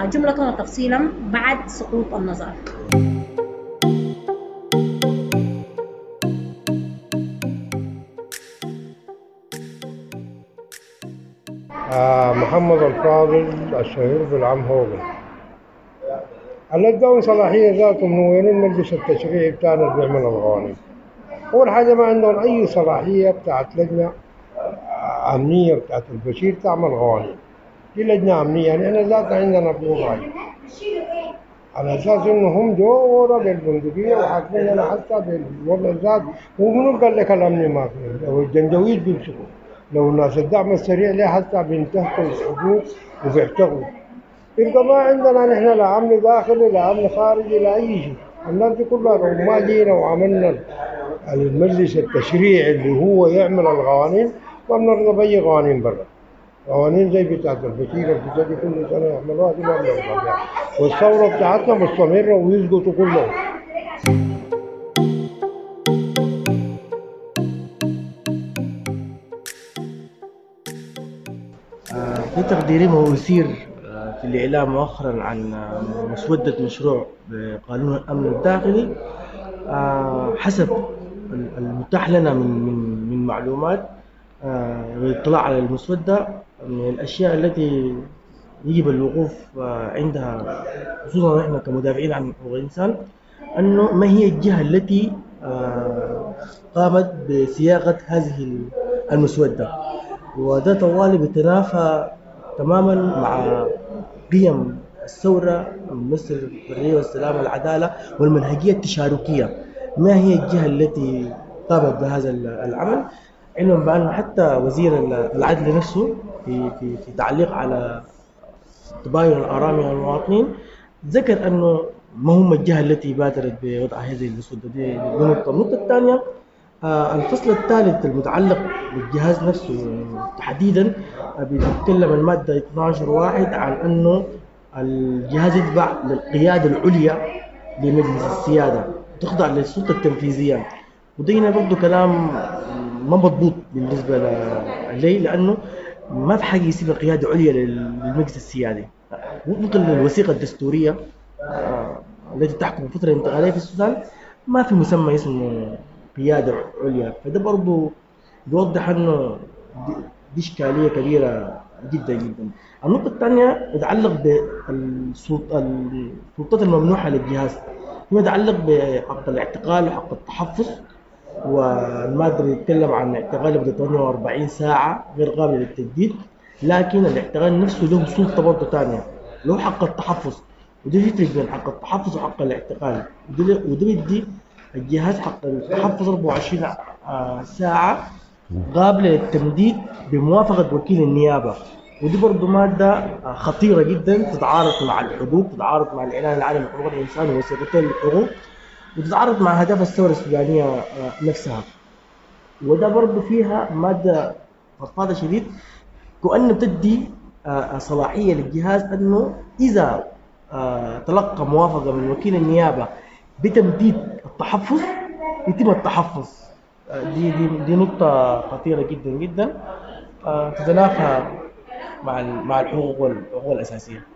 جملة وتفصيلا بعد سقوط النظام.
آه محمد الفاضل الشهير بالعم هوجن اللي اداهم صلاحية ذاتهم من وين؟ المجلس التشريعي بتاعنا اللي بيعمل القوانين. أول حاجة ما عندهم أي صلاحية بتاعت لجنة أمنية بتاعت البشير تعمل قوانين. دي لجنة أمنية، يعني إحنا ذاتنا عندنا بنور رأي على أساس إنه هم جونا بالبندقية وحاكميننا حتى بالوضع ذات. ومنو قال لك الأمن ما فيه؟ لو الجنجويد بيمسكوا، لو الناس الدعم السريع ليه حتى بينتهكوا الحقوق وبيعتقلوا. يبقى ما عندنا نحن لا امن داخلي لا امن خارجي لا اي شيء. الناس دي كلها لو ما جينا وعملنا المجلس التشريعي اللي هو يعمل القوانين ما بنرضى باي قوانين برا. قوانين زي بتاعت البشير اللي بتجي كل سنة يعملوها دي ما بنرضى بيها، والثورة بتاعتنا مستمرة ويسقطوا كلهم.
في تقديري ما أثير في الإعلام مؤخرا عن مسودة مشروع بقانون الأمن الداخلي حسب المتاح لنا من من من معلومات والاطلاع على المسودة، من الأشياء التي يجب الوقوف عندها خصوصا نحن كمدافعين عن حقوق الإنسان، أنه ما هي الجهة التي قامت بصياغة هذه المسودة، وده طوالي بيتنافى تماما مع قيم الثورة مثل الحرية والسلام والعدالة والمنهجية التشاركية. ما هي الجهة التي قامت بهذا العمل؟ علما بأنه حتى وزير العدل نفسه في في في تعليق على تباين الآراء من المواطنين ذكر أنه ما هم الجهة التي بادرت بوضع هذه المسودة. دي نقطة. النقطة الثانية، الفصل الثالث المتعلق بالجهاز نفسه تحديدا بيتكلم المادة اثنا عشر واحد عن أنه الجهاز يتبع للقيادة العليا لمجلس السيادة، تخضع للسلطة التنفيذية. وده هنا برضه كلام ما مضبوط بالنسبة لي، لأنه ما في حاجة يصير قيادة عليا للمجلس السيادي وفق الوثيقة الدستورية التي تحكم الفترة الانتقالية في السودان. ما في مسمى اسمه قيادة عليا، فده برضو بيوضح أنه دي إشكالية كبيرة جدا جدا. النقطة الثانية يتعلق بالسلطات الممنوحة للجهاز، فيما يتعلق بحق الاعتقال وحق التحفظ، والمادة اللي يتكلم عن اعتقال لمدة ثمانية وأربعين ساعة غير قابل للتجديد، لكن الاعتقال نفسه له سلطة برضه ثانية. له حق التحفظ، وده يفرق بين حق التحفظ وحق الاعتقال. وده وده بيدي الجهاز حق التحفظ أربعة وعشرين ساعة قابلة للتمديد بموافقة وكيل النيابة. ودي برضو مادة خطيرة جدا، تتعارض مع الحقوق، تتعارض مع الإعلان العالمي لحقوق الإنسان ووثيقتين الحقوق، وتتعارض مع أهداف الثورة السودانية نفسها. وده برضو فيها مادة فضفاضة شديد، كأنه بتدي صلاحية للجهاز أنه إذا تلقى موافقة من وكيل النيابة بتمديد التحفظ يتم التحفظ. دي دي دي نقطة خطيرة جدا جدا، تتنافى مع مع الحقوق والحقوق الأساسية.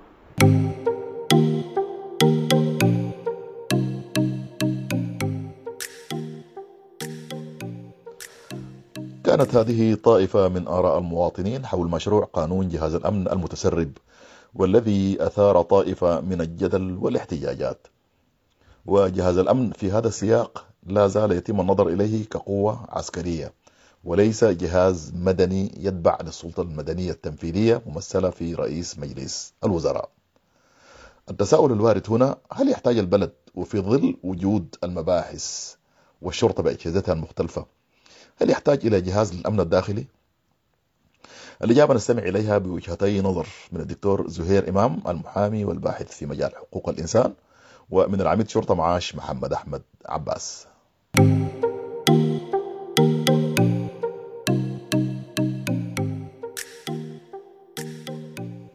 كانت هذه طائفة من آراء المواطنين حول مشروع قانون جهاز الأمن المتسرب، والذي أثار طائفة من الجدل والاحتجاجات. وجهاز الأمن في هذا السياق لا زال يتم النظر إليه كقوة عسكرية وليس جهاز مدني يتبع للسلطة المدنية التنفيذية ممثلة في رئيس مجلس الوزراء. التساؤل الوارد هنا: هل يحتاج البلد وفي ظل وجود المباحث والشرطة بأجهزتها المختلفة هل يحتاج إلى جهاز للأمن الداخلي؟ الإجابة نستمع إليها بوجهتي نظر من الدكتور زهير إمام المحامي والباحث في مجال حقوق الإنسان، ومن العميد شرطة معاش محمد أحمد عباس.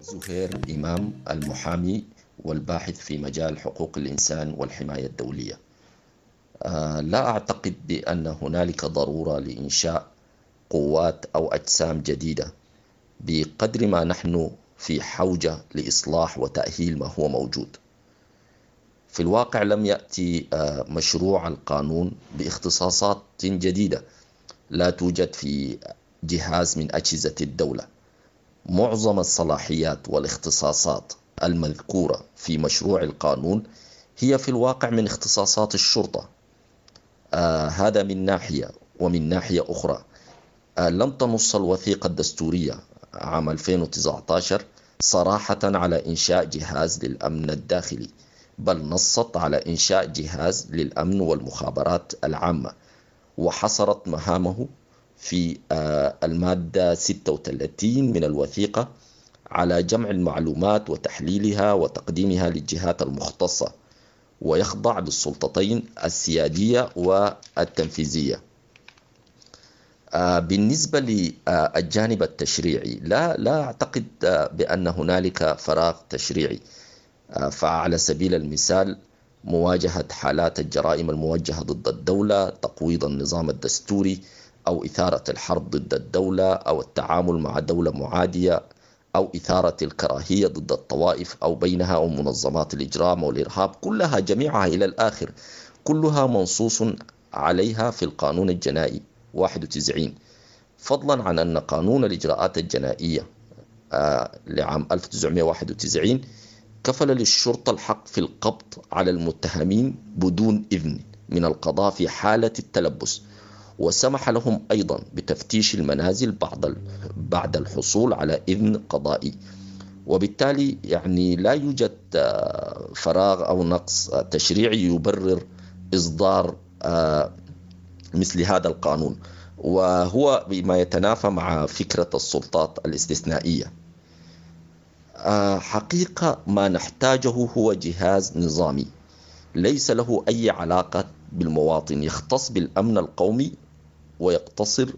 زهير إمام المحامي والباحث في مجال حقوق الإنسان والحماية الدولية. لا أعتقد بأن هنالك ضرورة لإنشاء قوات أو أجسام جديدة بقدر ما نحن في حوجة لإصلاح وتأهيل ما هو موجود. في الواقع لم يأتي مشروع القانون باختصاصات جديدة لا توجد في جهاز من أجهزة الدولة. معظم الصلاحيات والاختصاصات المذكورة في مشروع القانون هي في الواقع من اختصاصات الشرطة. آه هذا من ناحية، ومن ناحية أخرى آه لم تنص الوثيقة الدستورية عام ألفين وتسعة عشر صراحة على إنشاء جهاز للأمن الداخلي، بل نصت على إنشاء جهاز للأمن والمخابرات العامة، وحصرت مهامه في آه المادة ستة وثلاثين من الوثيقة على جمع المعلومات وتحليلها وتقديمها للجهات المختصة، ويخضع للسلطتين السيادية والتنفيذية. بالنسبة للجانب التشريعي لا لا أعتقد بأن هنالك فراغ تشريعي. فعلى سبيل المثال مواجهة حالات الجرائم الموجهة ضد الدولة، تقويض النظام الدستوري، أو إثارة الحرب ضد الدولة، أو التعامل مع دولة معادية، أو إثارة الكراهية ضد الطوائف أو بينها، أو منظمات الإجرام والإرهاب، كلها جميعها إلى الآخر كلها منصوص عليها في القانون الجنائي واحد وتسعين، فضلا عن أن قانون الإجراءات الجنائية لعام ألف وتسعمائة وواحد وتسعين كفل للشرطة الحق في القبض على المتهمين بدون إذن من القضاء في حالة التلبس، وسمح لهم أيضا بتفتيش المنازل بعد بعد الحصول على إذن قضائي. وبالتالي يعني لا يوجد فراغ أو نقص تشريعي يبرر إصدار مثل هذا القانون، وهو بما يتنافى مع فكرة السلطات الاستثنائية. حقيقة ما نحتاجه هو جهاز نظامي ليس له أي علاقة بالمواطن، يختص بالأمن القومي ويقتصر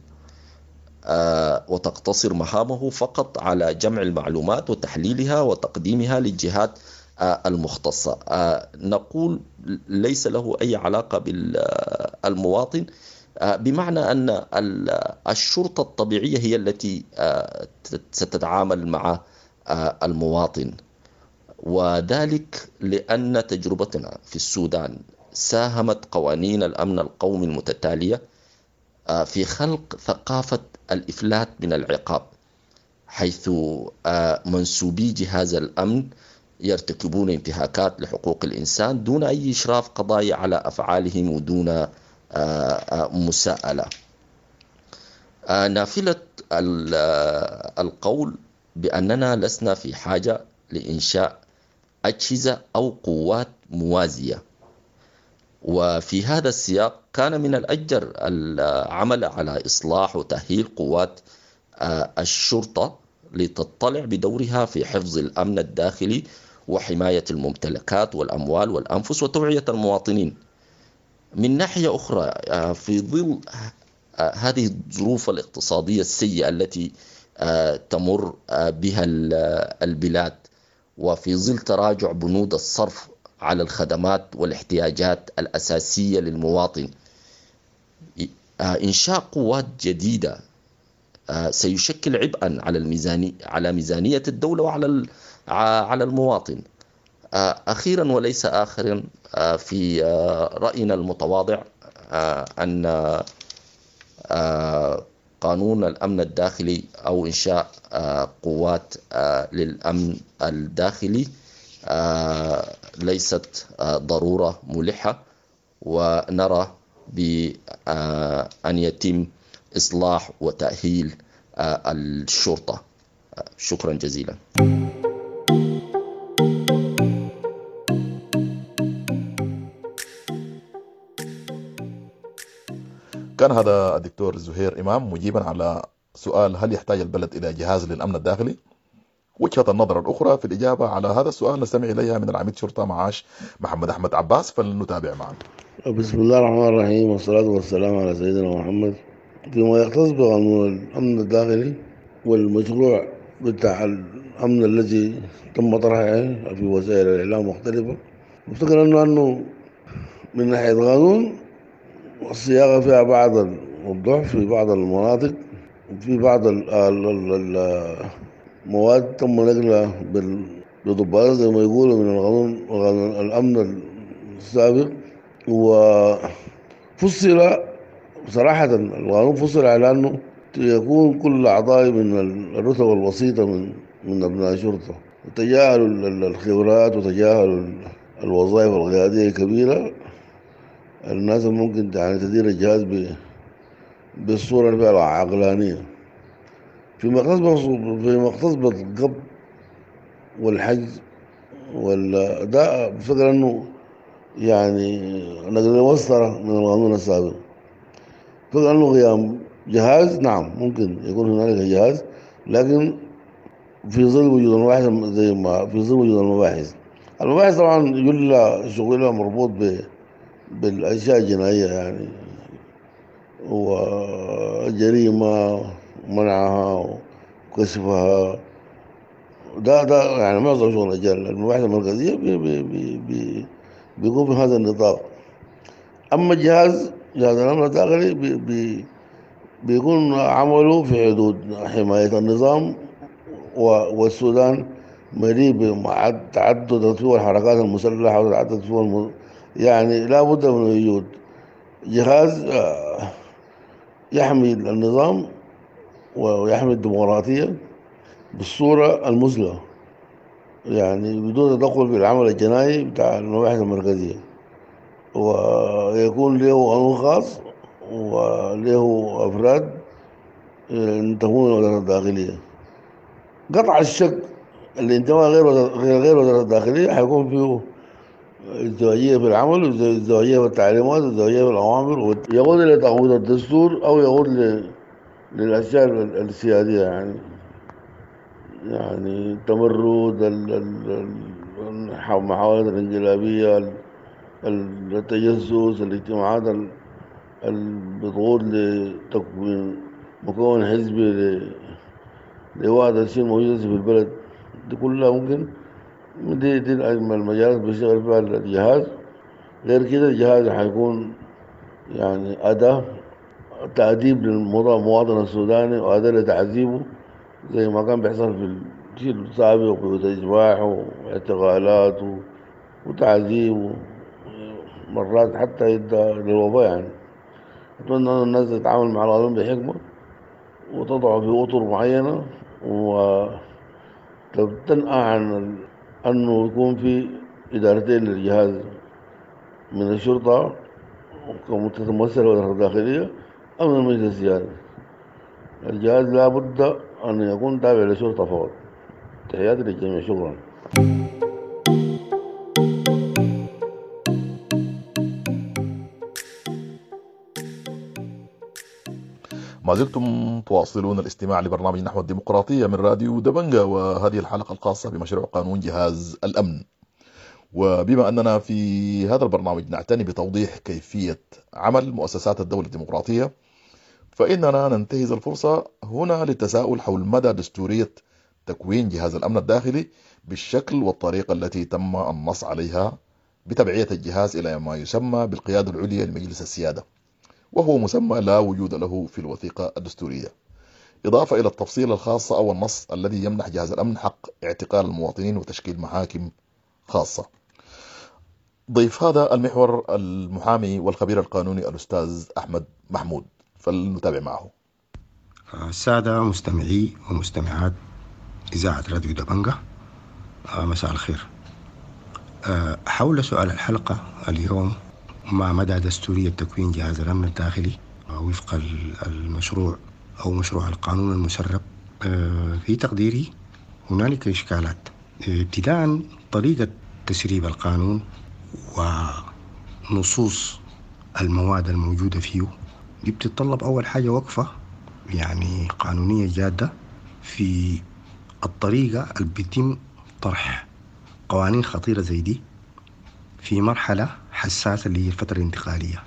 آه وتقتصر مهامه فقط على جمع المعلومات وتحليلها وتقديمها للجهات آه المختصة. آه نقول ليس له أي علاقة بالمواطن آه بمعنى أن الشرطة الطبيعية هي التي آه ستتعامل مع آه المواطن، وذلك لأن تجربتنا في السودان ساهمت قوانين الأمن القومي المتتالية في خلق ثقافة الإفلات من العقاب، حيث منسوبي جهاز الأمن يرتكبون انتهاكات لحقوق الإنسان دون أي إشراف قضائي على أفعالهم ودون مساءلة. نافلة القول بأننا لسنا في حاجة لإنشاء أجهزة أو قوات موازية. وفي هذا السياق كان من الأجدر العمل على إصلاح وتأهيل قوات الشرطة لتطلع بدورها في حفظ الأمن الداخلي وحماية الممتلكات والأموال والأنفس وتوعية المواطنين. من ناحية أخرى، في ظل هذه الظروف الاقتصادية السيئة التي تمر بها البلاد، وفي ظل تراجع بنود الصرف على الخدمات والاحتياجات الأساسية للمواطن، إنشاء قوات جديدة سيشكل عبئا على الميزانية، على ميزانية الدولة وعلى على المواطن. أخيرا وليس آخرا، في رأينا المتواضع أن قانون الأمن الداخلي أو إنشاء قوات للأمن الداخلي ليست ضرورة ملحة، ونرى بأن يتم إصلاح وتأهيل الشرطة. شكرا جزيلا.
كان هذا الدكتور زهير إمام مجيبا على سؤال هل يحتاج البلد إلى جهاز للأمن الداخلي؟ وجهة النظر الأخرى في الإجابة على هذا السؤال نستمع إليها من العميد شرطة معاش محمد أحمد عباس، فلنتابع معا.
بسم الله الرحمن الرحيم، والصلاة والسلام على سيدنا محمد. فيما يختص بقانون الأمن الداخلي والمشروع بتاع الأمن الذي تم طرحه في وسائل الإعلام مختلفة، أفتكر أنه أنه من ناحية قانون الصياغة فيها بعض الضعف في بعض المناطق، وفي بعض المواد تم نقلها بضباط زي ما يقولوا من القانون قانون الأمن السابق، وفصل صراحة القانون فصل على أنه يكون كل أعضاء من الرتب الوسيطة من من أبناء الشرطة، تجاهلوا الخبرات وتجاهلوا الوظائف القيادية الكبيرة، الناس ممكن يعني تدير الجهاز بالصورة اللي فيها العقلانية. فيما يختص فيما يختص بالقبض والحجز وال ده بفكر انه يعني نقل مسطرة من القانون السابق. فكر انه قيام جهاز، نعم ممكن يكون هنالك جهاز، لكن في ظل وجود المباحث زي ما في ظل وجود المباحث. المباحث طبعا جل شغلها مربوط ب بالأشياء الجنائية يعني، وجريمة منعها وكشفها، ده ده يعني معظم شغل الرجال المباحث المركزية بي بي بي بي بيكون في هذا النطاق. أما الجهاز جهاز الأمن الداخلي بي بي بيكون عمله في حدود حماية النظام، والسودان مليء بتعدد فيه الحركات المسلحة وتعدد فيه الم... يعني لا بد من وجود جهاز يحمي النظام ويحمي الديمقراطية بالصورة المثلى، يعني بدون تدخل في العمل الجنائي بتاع المباحث المركزية، ويكون له قانون خاص وله أفراد ينتمون للوزارة الداخلية. قطع الشك الانتماء غير غير وزارة الداخلية حيكون فيه ازدواجية في العمل، وازدواجية في التعليمات، وازدواجية في الأوامر، يقود إلى تعويض الدستور أو يقود للأشياء السيادية، يعني يعني التمرد، المحاولات الانقلابية، التجسس، الاجتماعات اللي بتقود لتكوين مكون حزبي لوعد الشيء الموجود في البلد دي كلها ممكن دي دي المجالات بيشتغل فيها الجهاز. غير كده الجهاز حيكون يعني أداة تأديب للمواطن السوداني وأداة لتعذيبه زي ما كان بيحصل في الجيل السابق وتجماع واعتقالات وتعذيب مرات حتى يدى للوباء. يعني أتمنى أن الناس تتعامل مع القانون بحكمة وتضعه في أطر معينة وتنأى عن أنه يكون في إدارتين للجهاز من الشرطة كمتمثلة الوزارة الداخلية أو من المجلس السيادي. الجهاز لا بد أن يكون تابع للشرطة فقط. تحياتي للجميع، شكرا.
ما زلتم تواصلون الاستماع لبرنامج نحو الديمقراطية من راديو دبنجا، وهذه الحلقة الخاصة بمشروع قانون جهاز الأمن. وبما أننا في هذا البرنامج نعتني بتوضيح كيفية عمل مؤسسات الدولة الديمقراطية، فإننا ننتهز الفرصة هنا للتساؤل حول مدى دستورية تكوين جهاز الأمن الداخلي بالشكل والطريقة التي تم النص عليها بتبعية الجهاز إلى ما يسمى بالقيادة العليا لمجلس السيادة، وهو مسمى لا وجود له في الوثيقة الدستورية، إضافة إلى التفصيل الخاص أو النص الذي يمنح جهاز الأمن حق اعتقال المواطنين وتشكيل محاكم خاصة. ضيف هذا المحور المحامي والخبير القانوني الأستاذ أحمد محمود، فلنتابع معه.
السادة مستمعي ومستمعات إذاعة راديو دبنجة، مساء الخير. حول سؤال الحلقة اليوم: ما مدى دستورية تكوين جهاز الأمن الداخلي وفق المشروع أو مشروع القانون المسرب؟ في تقديري هنالك إشكالات. ابتداء طريقة تسريب القانون ونصوص المواد الموجودة فيه دي بتتطلب أول حاجة وقفة يعني قانونية جادة في الطريقة اللي بيتم طرح قوانين خطيرة زي دي في مرحلة حساسة اللي هي الفترة الانتقالية،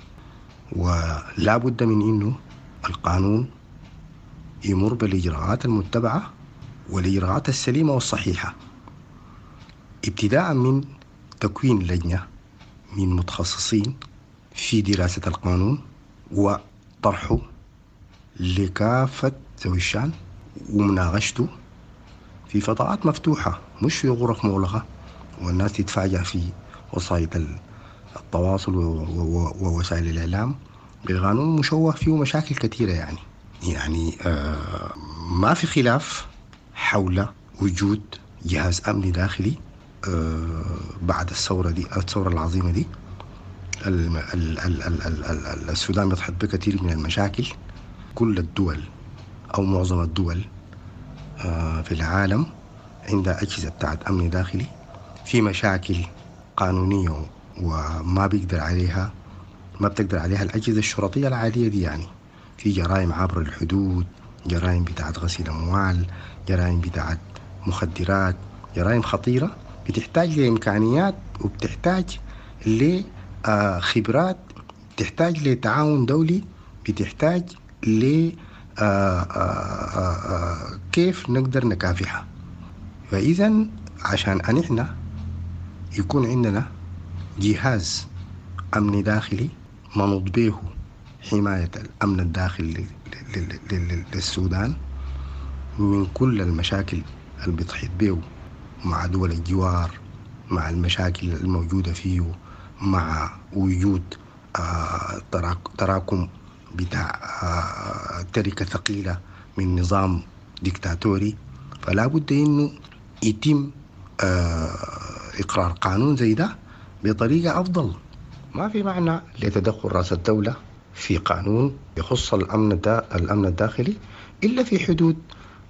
ولا بد من إنه القانون يمر بالإجراءات المتبعة والإجراءات السليمة والصحيحة، ابتداء من تكوين لجنة من متخصصين في دراسة القانون وطرحه لكافة ذوي الشأن ومناقشته في فضاءات مفتوحة، مش في غرف مغلقة والناس تتفاجأ في وسائل التواصل ووسائل الإعلام بقانون مشوه فيه مشاكل كثيرة. يعني يعني آه ما في خلاف حول وجود جهاز أمني داخلي آه بعد الثورة دي، الثورة العظيمة دي. ال ال ال ال ال ال السودان يتحط بكثير من المشاكل. كل الدول أو معظم الدول آه في العالم عندها أجهزة بتاعت أمن داخلي، في مشاكل قانونية وما بيقدر عليها ما بتقدر عليها الأجهزة الشرطية العادية دي. يعني في جرائم عبر الحدود، جرائم بتاعت غسيل أموال، جرائم بتاعت مخدرات، جرائم خطيرة بتحتاج لإمكانيات وبتحتاج لخبرات، بتحتاج لتعاون دولي، بتحتاج ل كيف نقدر نكافحها. فإذا عشان أن إحنا يكون عندنا جهاز أمن داخلي منوط به حماية الأمن الداخلي للسودان من كل المشاكل اللي بتحيط به مع دول الجوار، مع المشاكل الموجودة فيه، مع وجود آه تراكم بتاع آه تركة ثقيلة من نظام ديكتاتوري. فلا بد إنه يتم آه إقرار قانون زي ده بطريقة أفضل. ما في معنى لتدخل رأس الدولة في قانون يخص الأمن الأمن الداخلي إلا في حدود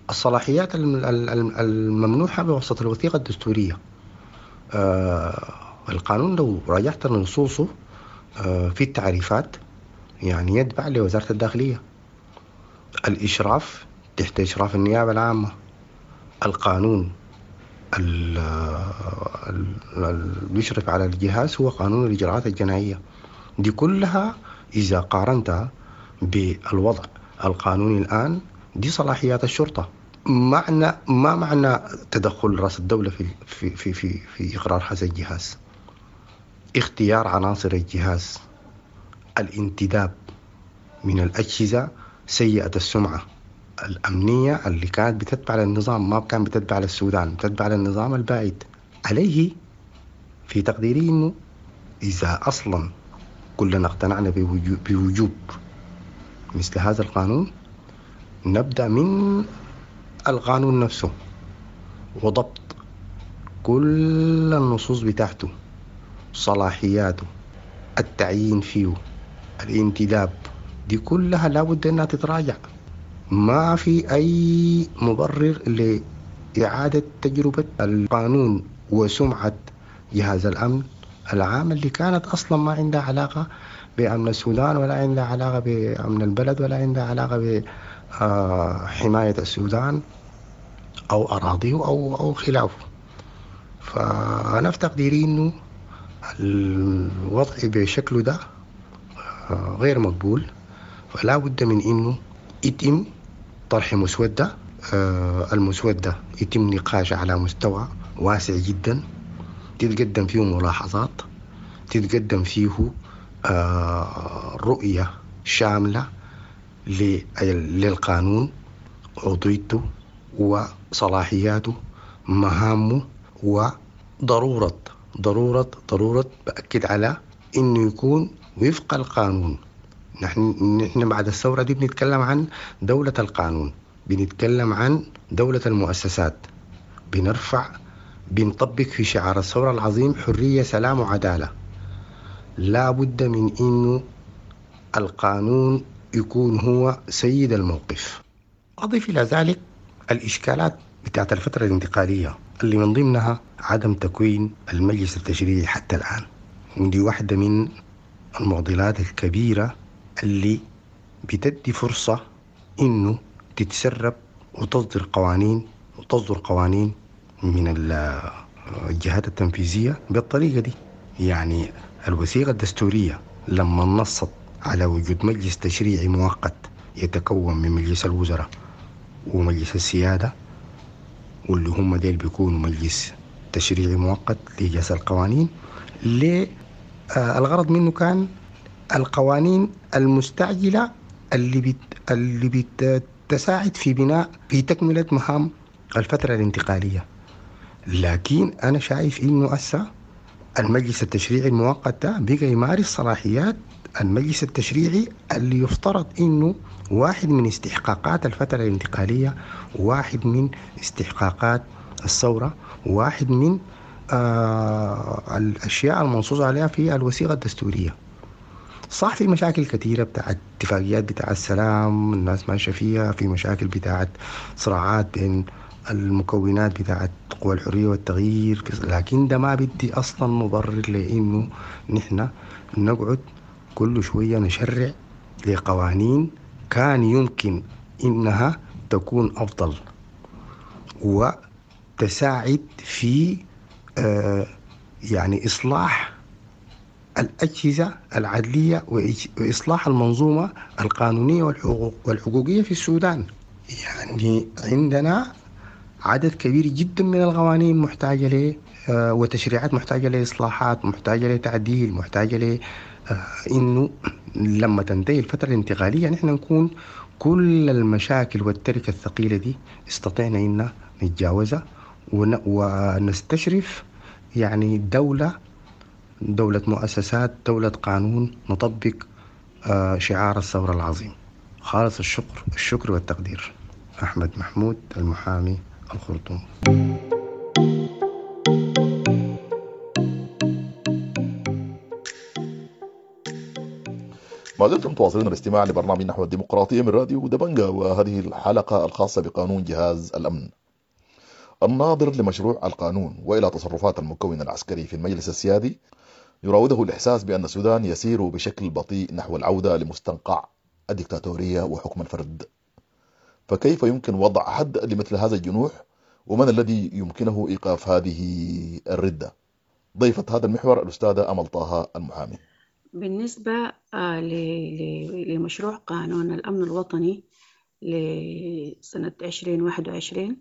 الصلاحيات الممنوحة بواسطة الوثيقة الدستورية. آه القانون لو راجعت نصوصه آه في التعريفات يعني يتبع لوزارة الداخلية، الإشراف تحت إشراف النيابة العامة، القانون اللي بيشرف على الجهاز هو قانون الإجراءات الجنائية. دي كلها إذا قارنتها بالوضع القانوني الآن دي صلاحيات الشرطة. معنى ما معنى تدخل رأس الدولة في في في في, في إقرار هذا الجهاز؟ اختيار عناصر الجهاز، الانتداب من الأجهزة سيئة السمعة الأمنية اللي كانت بتتبع للنظام، ما كان بتتبع للسودان، بتتبع للنظام البائد. عليه في تقديري إنه إذا أصلا كلنا اقتنعنا بوجوب مثل هذا القانون، نبدأ من القانون نفسه وضبط كل النصوص بتاعته، صلاحياته، التعيين فيه، الانتداب، دي كلها لابد أنها تتراجع. ما في أي مبرر لإعادة تجربة القانون وسمعة جهاز الأمن العام اللي كانت أصلا ما عندها علاقة بأمن السودان، ولا عندها علاقة بأمن البلد، ولا عندها علاقة بحماية السودان أو أراضيه أو أو خلافه. فأنا في تقديري إنه الوضع بشكله ده غير مقبول، فلا بد من إنه يتم طرح مسودة، المسودة يتم نقاشها على مستوى واسع جدا، تتقدم فيه ملاحظات، تتقدم فيه رؤية شاملة للقانون، عضويته وصلاحياته، مهامه، وضرورة ضرورة ضرورة بأكد على إنه يكون وفق القانون. نحن نحن بعد الثورة دي بنتكلم عن دولة القانون، بنتكلم عن دولة المؤسسات، بنرفع بنطبق في شعار الثورة العظيم حرية سلام وعدالة. لا بد من إنه القانون يكون هو سيد الموقف. أضيف إلى ذلك الإشكالات بتاعت الفترة الانتقالية اللي من ضمنها عدم تكوين المجلس التشريعي حتى الآن، ودي واحدة من المعضلات الكبيرة اللي بتدي فرصة إنه تتسرب وتصدر قوانين وتصدر قوانين من الجهات التنفيذية بالطريقة دي. يعني الوثيقة الدستورية لما نصت على وجود مجلس تشريعي مؤقت يتكون من مجلس الوزراء ومجلس السيادة، واللي هم ديل بيكونوا مجلس تشريعي مؤقت لإجازة القوانين، ليه الغرض منه كان القوانين المستعجلة اللي بت اللي بتساعد في بناء في تكملة مهام الفترة الانتقالية. لكن أنا شايف إنه أسا المجلس التشريعي المؤقت ده بقى يمارس صلاحيات المجلس التشريعي اللي يفترض إنه واحد من استحقاقات الفترة الانتقالية، واحد من استحقاقات الثورة، واحد من آه الأشياء المنصوص عليها في الوثيقة الدستورية. صح في مشاكل كثيرة بتاعت اتفاقيات بتاع السلام الناس ماشية فيها، في مشاكل بتاعت صراعات بين المكونات بتاعت قوى الحرية والتغيير، لكن ده ما بدي أصلا مبرر لأنه نحن نقعد كل شوية نشرع لقوانين كان يمكن إنها تكون أفضل وتساعد في آه يعني إصلاح الأجهزة العدلية وإصلاح المنظومة القانونية والحقوق والحقوقية في السودان. يعني عندنا عدد كبير جدا من القوانين محتاجة ل وتشريعات محتاجة لإصلاحات، محتاجة لتعديل، محتاجة ل إنه لما تنتهي الفترة الانتقالية نحن نكون كل المشاكل والتركة الثقيلة دي استطعنا إن نتجاوزها ونستشرف يعني دولة دولة مؤسسات، دولة قانون، نطبق شعار الثورة العظيم. خالص الشكر الشكر والتقدير. أحمد محمود المحامي، الخرطوم.
ما زلتم تواصلون الاستماع لبرنامج نحو الديمقراطية من راديو دبنجا، وهذه الحلقة الخاصة بقانون جهاز الأمن. الناظر لمشروع القانون وإلى تصرفات المكون العسكري في المجلس السيادي يراوده الإحساس بأن السودان يسير بشكل بطيء نحو العودة لمستنقع الدكتاتورية وحكم الفرد. فكيف يمكن وضع حد لمثل هذا الجنوح، ومن الذي يمكنه إيقاف هذه الردة؟ ضيفة هذا المحور الأستاذة أمل طه المحامي.
بالنسبة لمشروع قانون الأمن الوطني لسنة عشرين واحد وعشرين،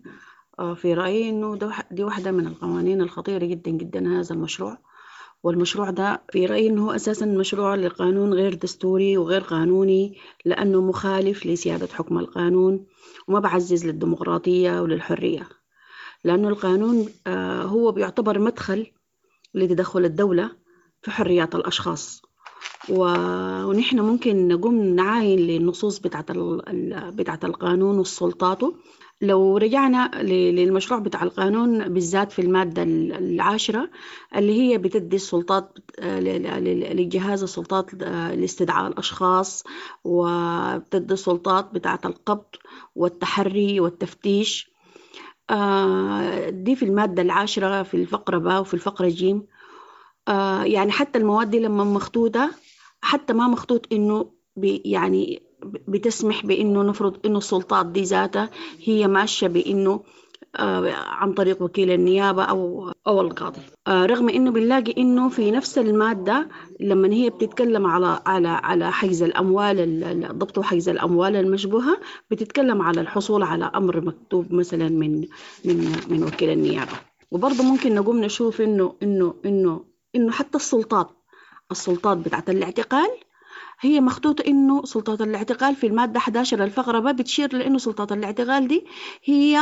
في رأيي أنه دي واحدة من القوانين الخطيرة جدا جدا هذا المشروع. والمشروع ده في رأيي أنه أساسا مشروع لقانون غير دستوري وغير قانوني، لأنه مخالف لسيادة حكم القانون وما بعزز للديمقراطية وللحرية، لأنه القانون هو بيعتبر مدخل لتدخل الدولة في حريات الأشخاص. ونحن ممكن نقوم نعاين للنصوص بتاعت بتاعت القانون والسلطاته. لو رجعنا للمشروع بتاع القانون بالذات في المادة العاشرة اللي هي بتدي السلطات لجهاز السلطات لاستدعاء الأشخاص، وبتدي السلطات بتاعت القبض والتحري والتفتيش، دي في المادة العاشرة في الفقرة باء وفي الفقرة جيم. آه يعني حتى المواد دي لما مخطوطة حتى ما مخطوط إنه بي يعني بتسمح بإنه نفرض إنه السلطات دي ذاتها هي ماشية بإنه آه عن طريق وكيل النيابة أو أو القاضي. آه رغم إنه بنلاقي إنه في نفس المادة لما هي بتتكلم على على على حجز الأموال، ضبط حجز الأموال المشبوهة، بتتكلم على الحصول على أمر مكتوب مثلا من من من وكيل النيابة. وبرضه ممكن نقوم نشوف إنه إنه إنه إنه حتى السلطات السلطات بتاعت الاعتقال هي مخطوطة إنه سلطات الاعتقال في المادة أحد عشر الفقرة ب بتشير لإنه سلطات الاعتقال دي هي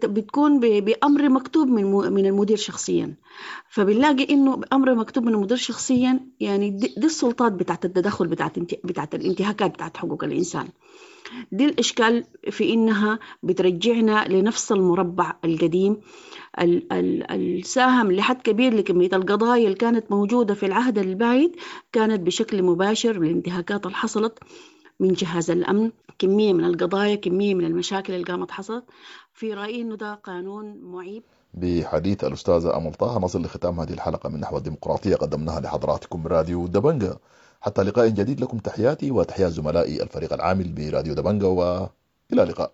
بتكون بأمر مكتوب من من المدير شخصيا. فبنلاقي إنه بأمر مكتوب من المدير شخصيا، يعني دي, دي السلطات بتاعت التدخل بتاعت بتاعت الانتهاكات بتاعت حقوق الإنسان. دي الإشكال في إنها بترجعنا لنفس المربع القديم الساهم لحد كبير لكمية القضايا اللي كانت موجودة في العهد البايد، كانت بشكل مباشر بالانتهاكات اللي حصلت من جهاز الأمن، كمية من القضايا، كمية من المشاكل اللي قامت حصلت. في رأيي إنه ده قانون معيب.
بحديث الأستاذة أمل طه نصل لختام هذه الحلقة من نحو الديمقراطية قدمناها لحضراتكم راديو دبنجة. حتى لقاء جديد، لكم تحياتي وتحيات زملائي الفريق العامل براديو دبنجة، وإلى اللقاء.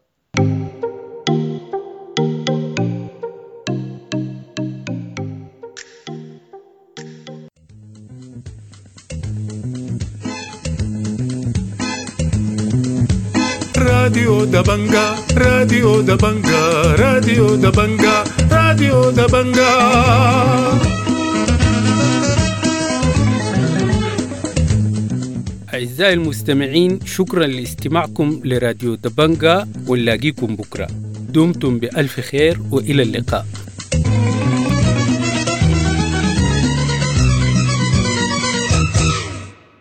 راديو دبنجة، راديو دبنجة، راديو دبنجة، راديو دبنجة.
أعزائي المستمعين، شكرا لاستماعكم لراديو دبنجة، ونلاقيكم بكرة. دمتم بألف خير وإلى اللقاء.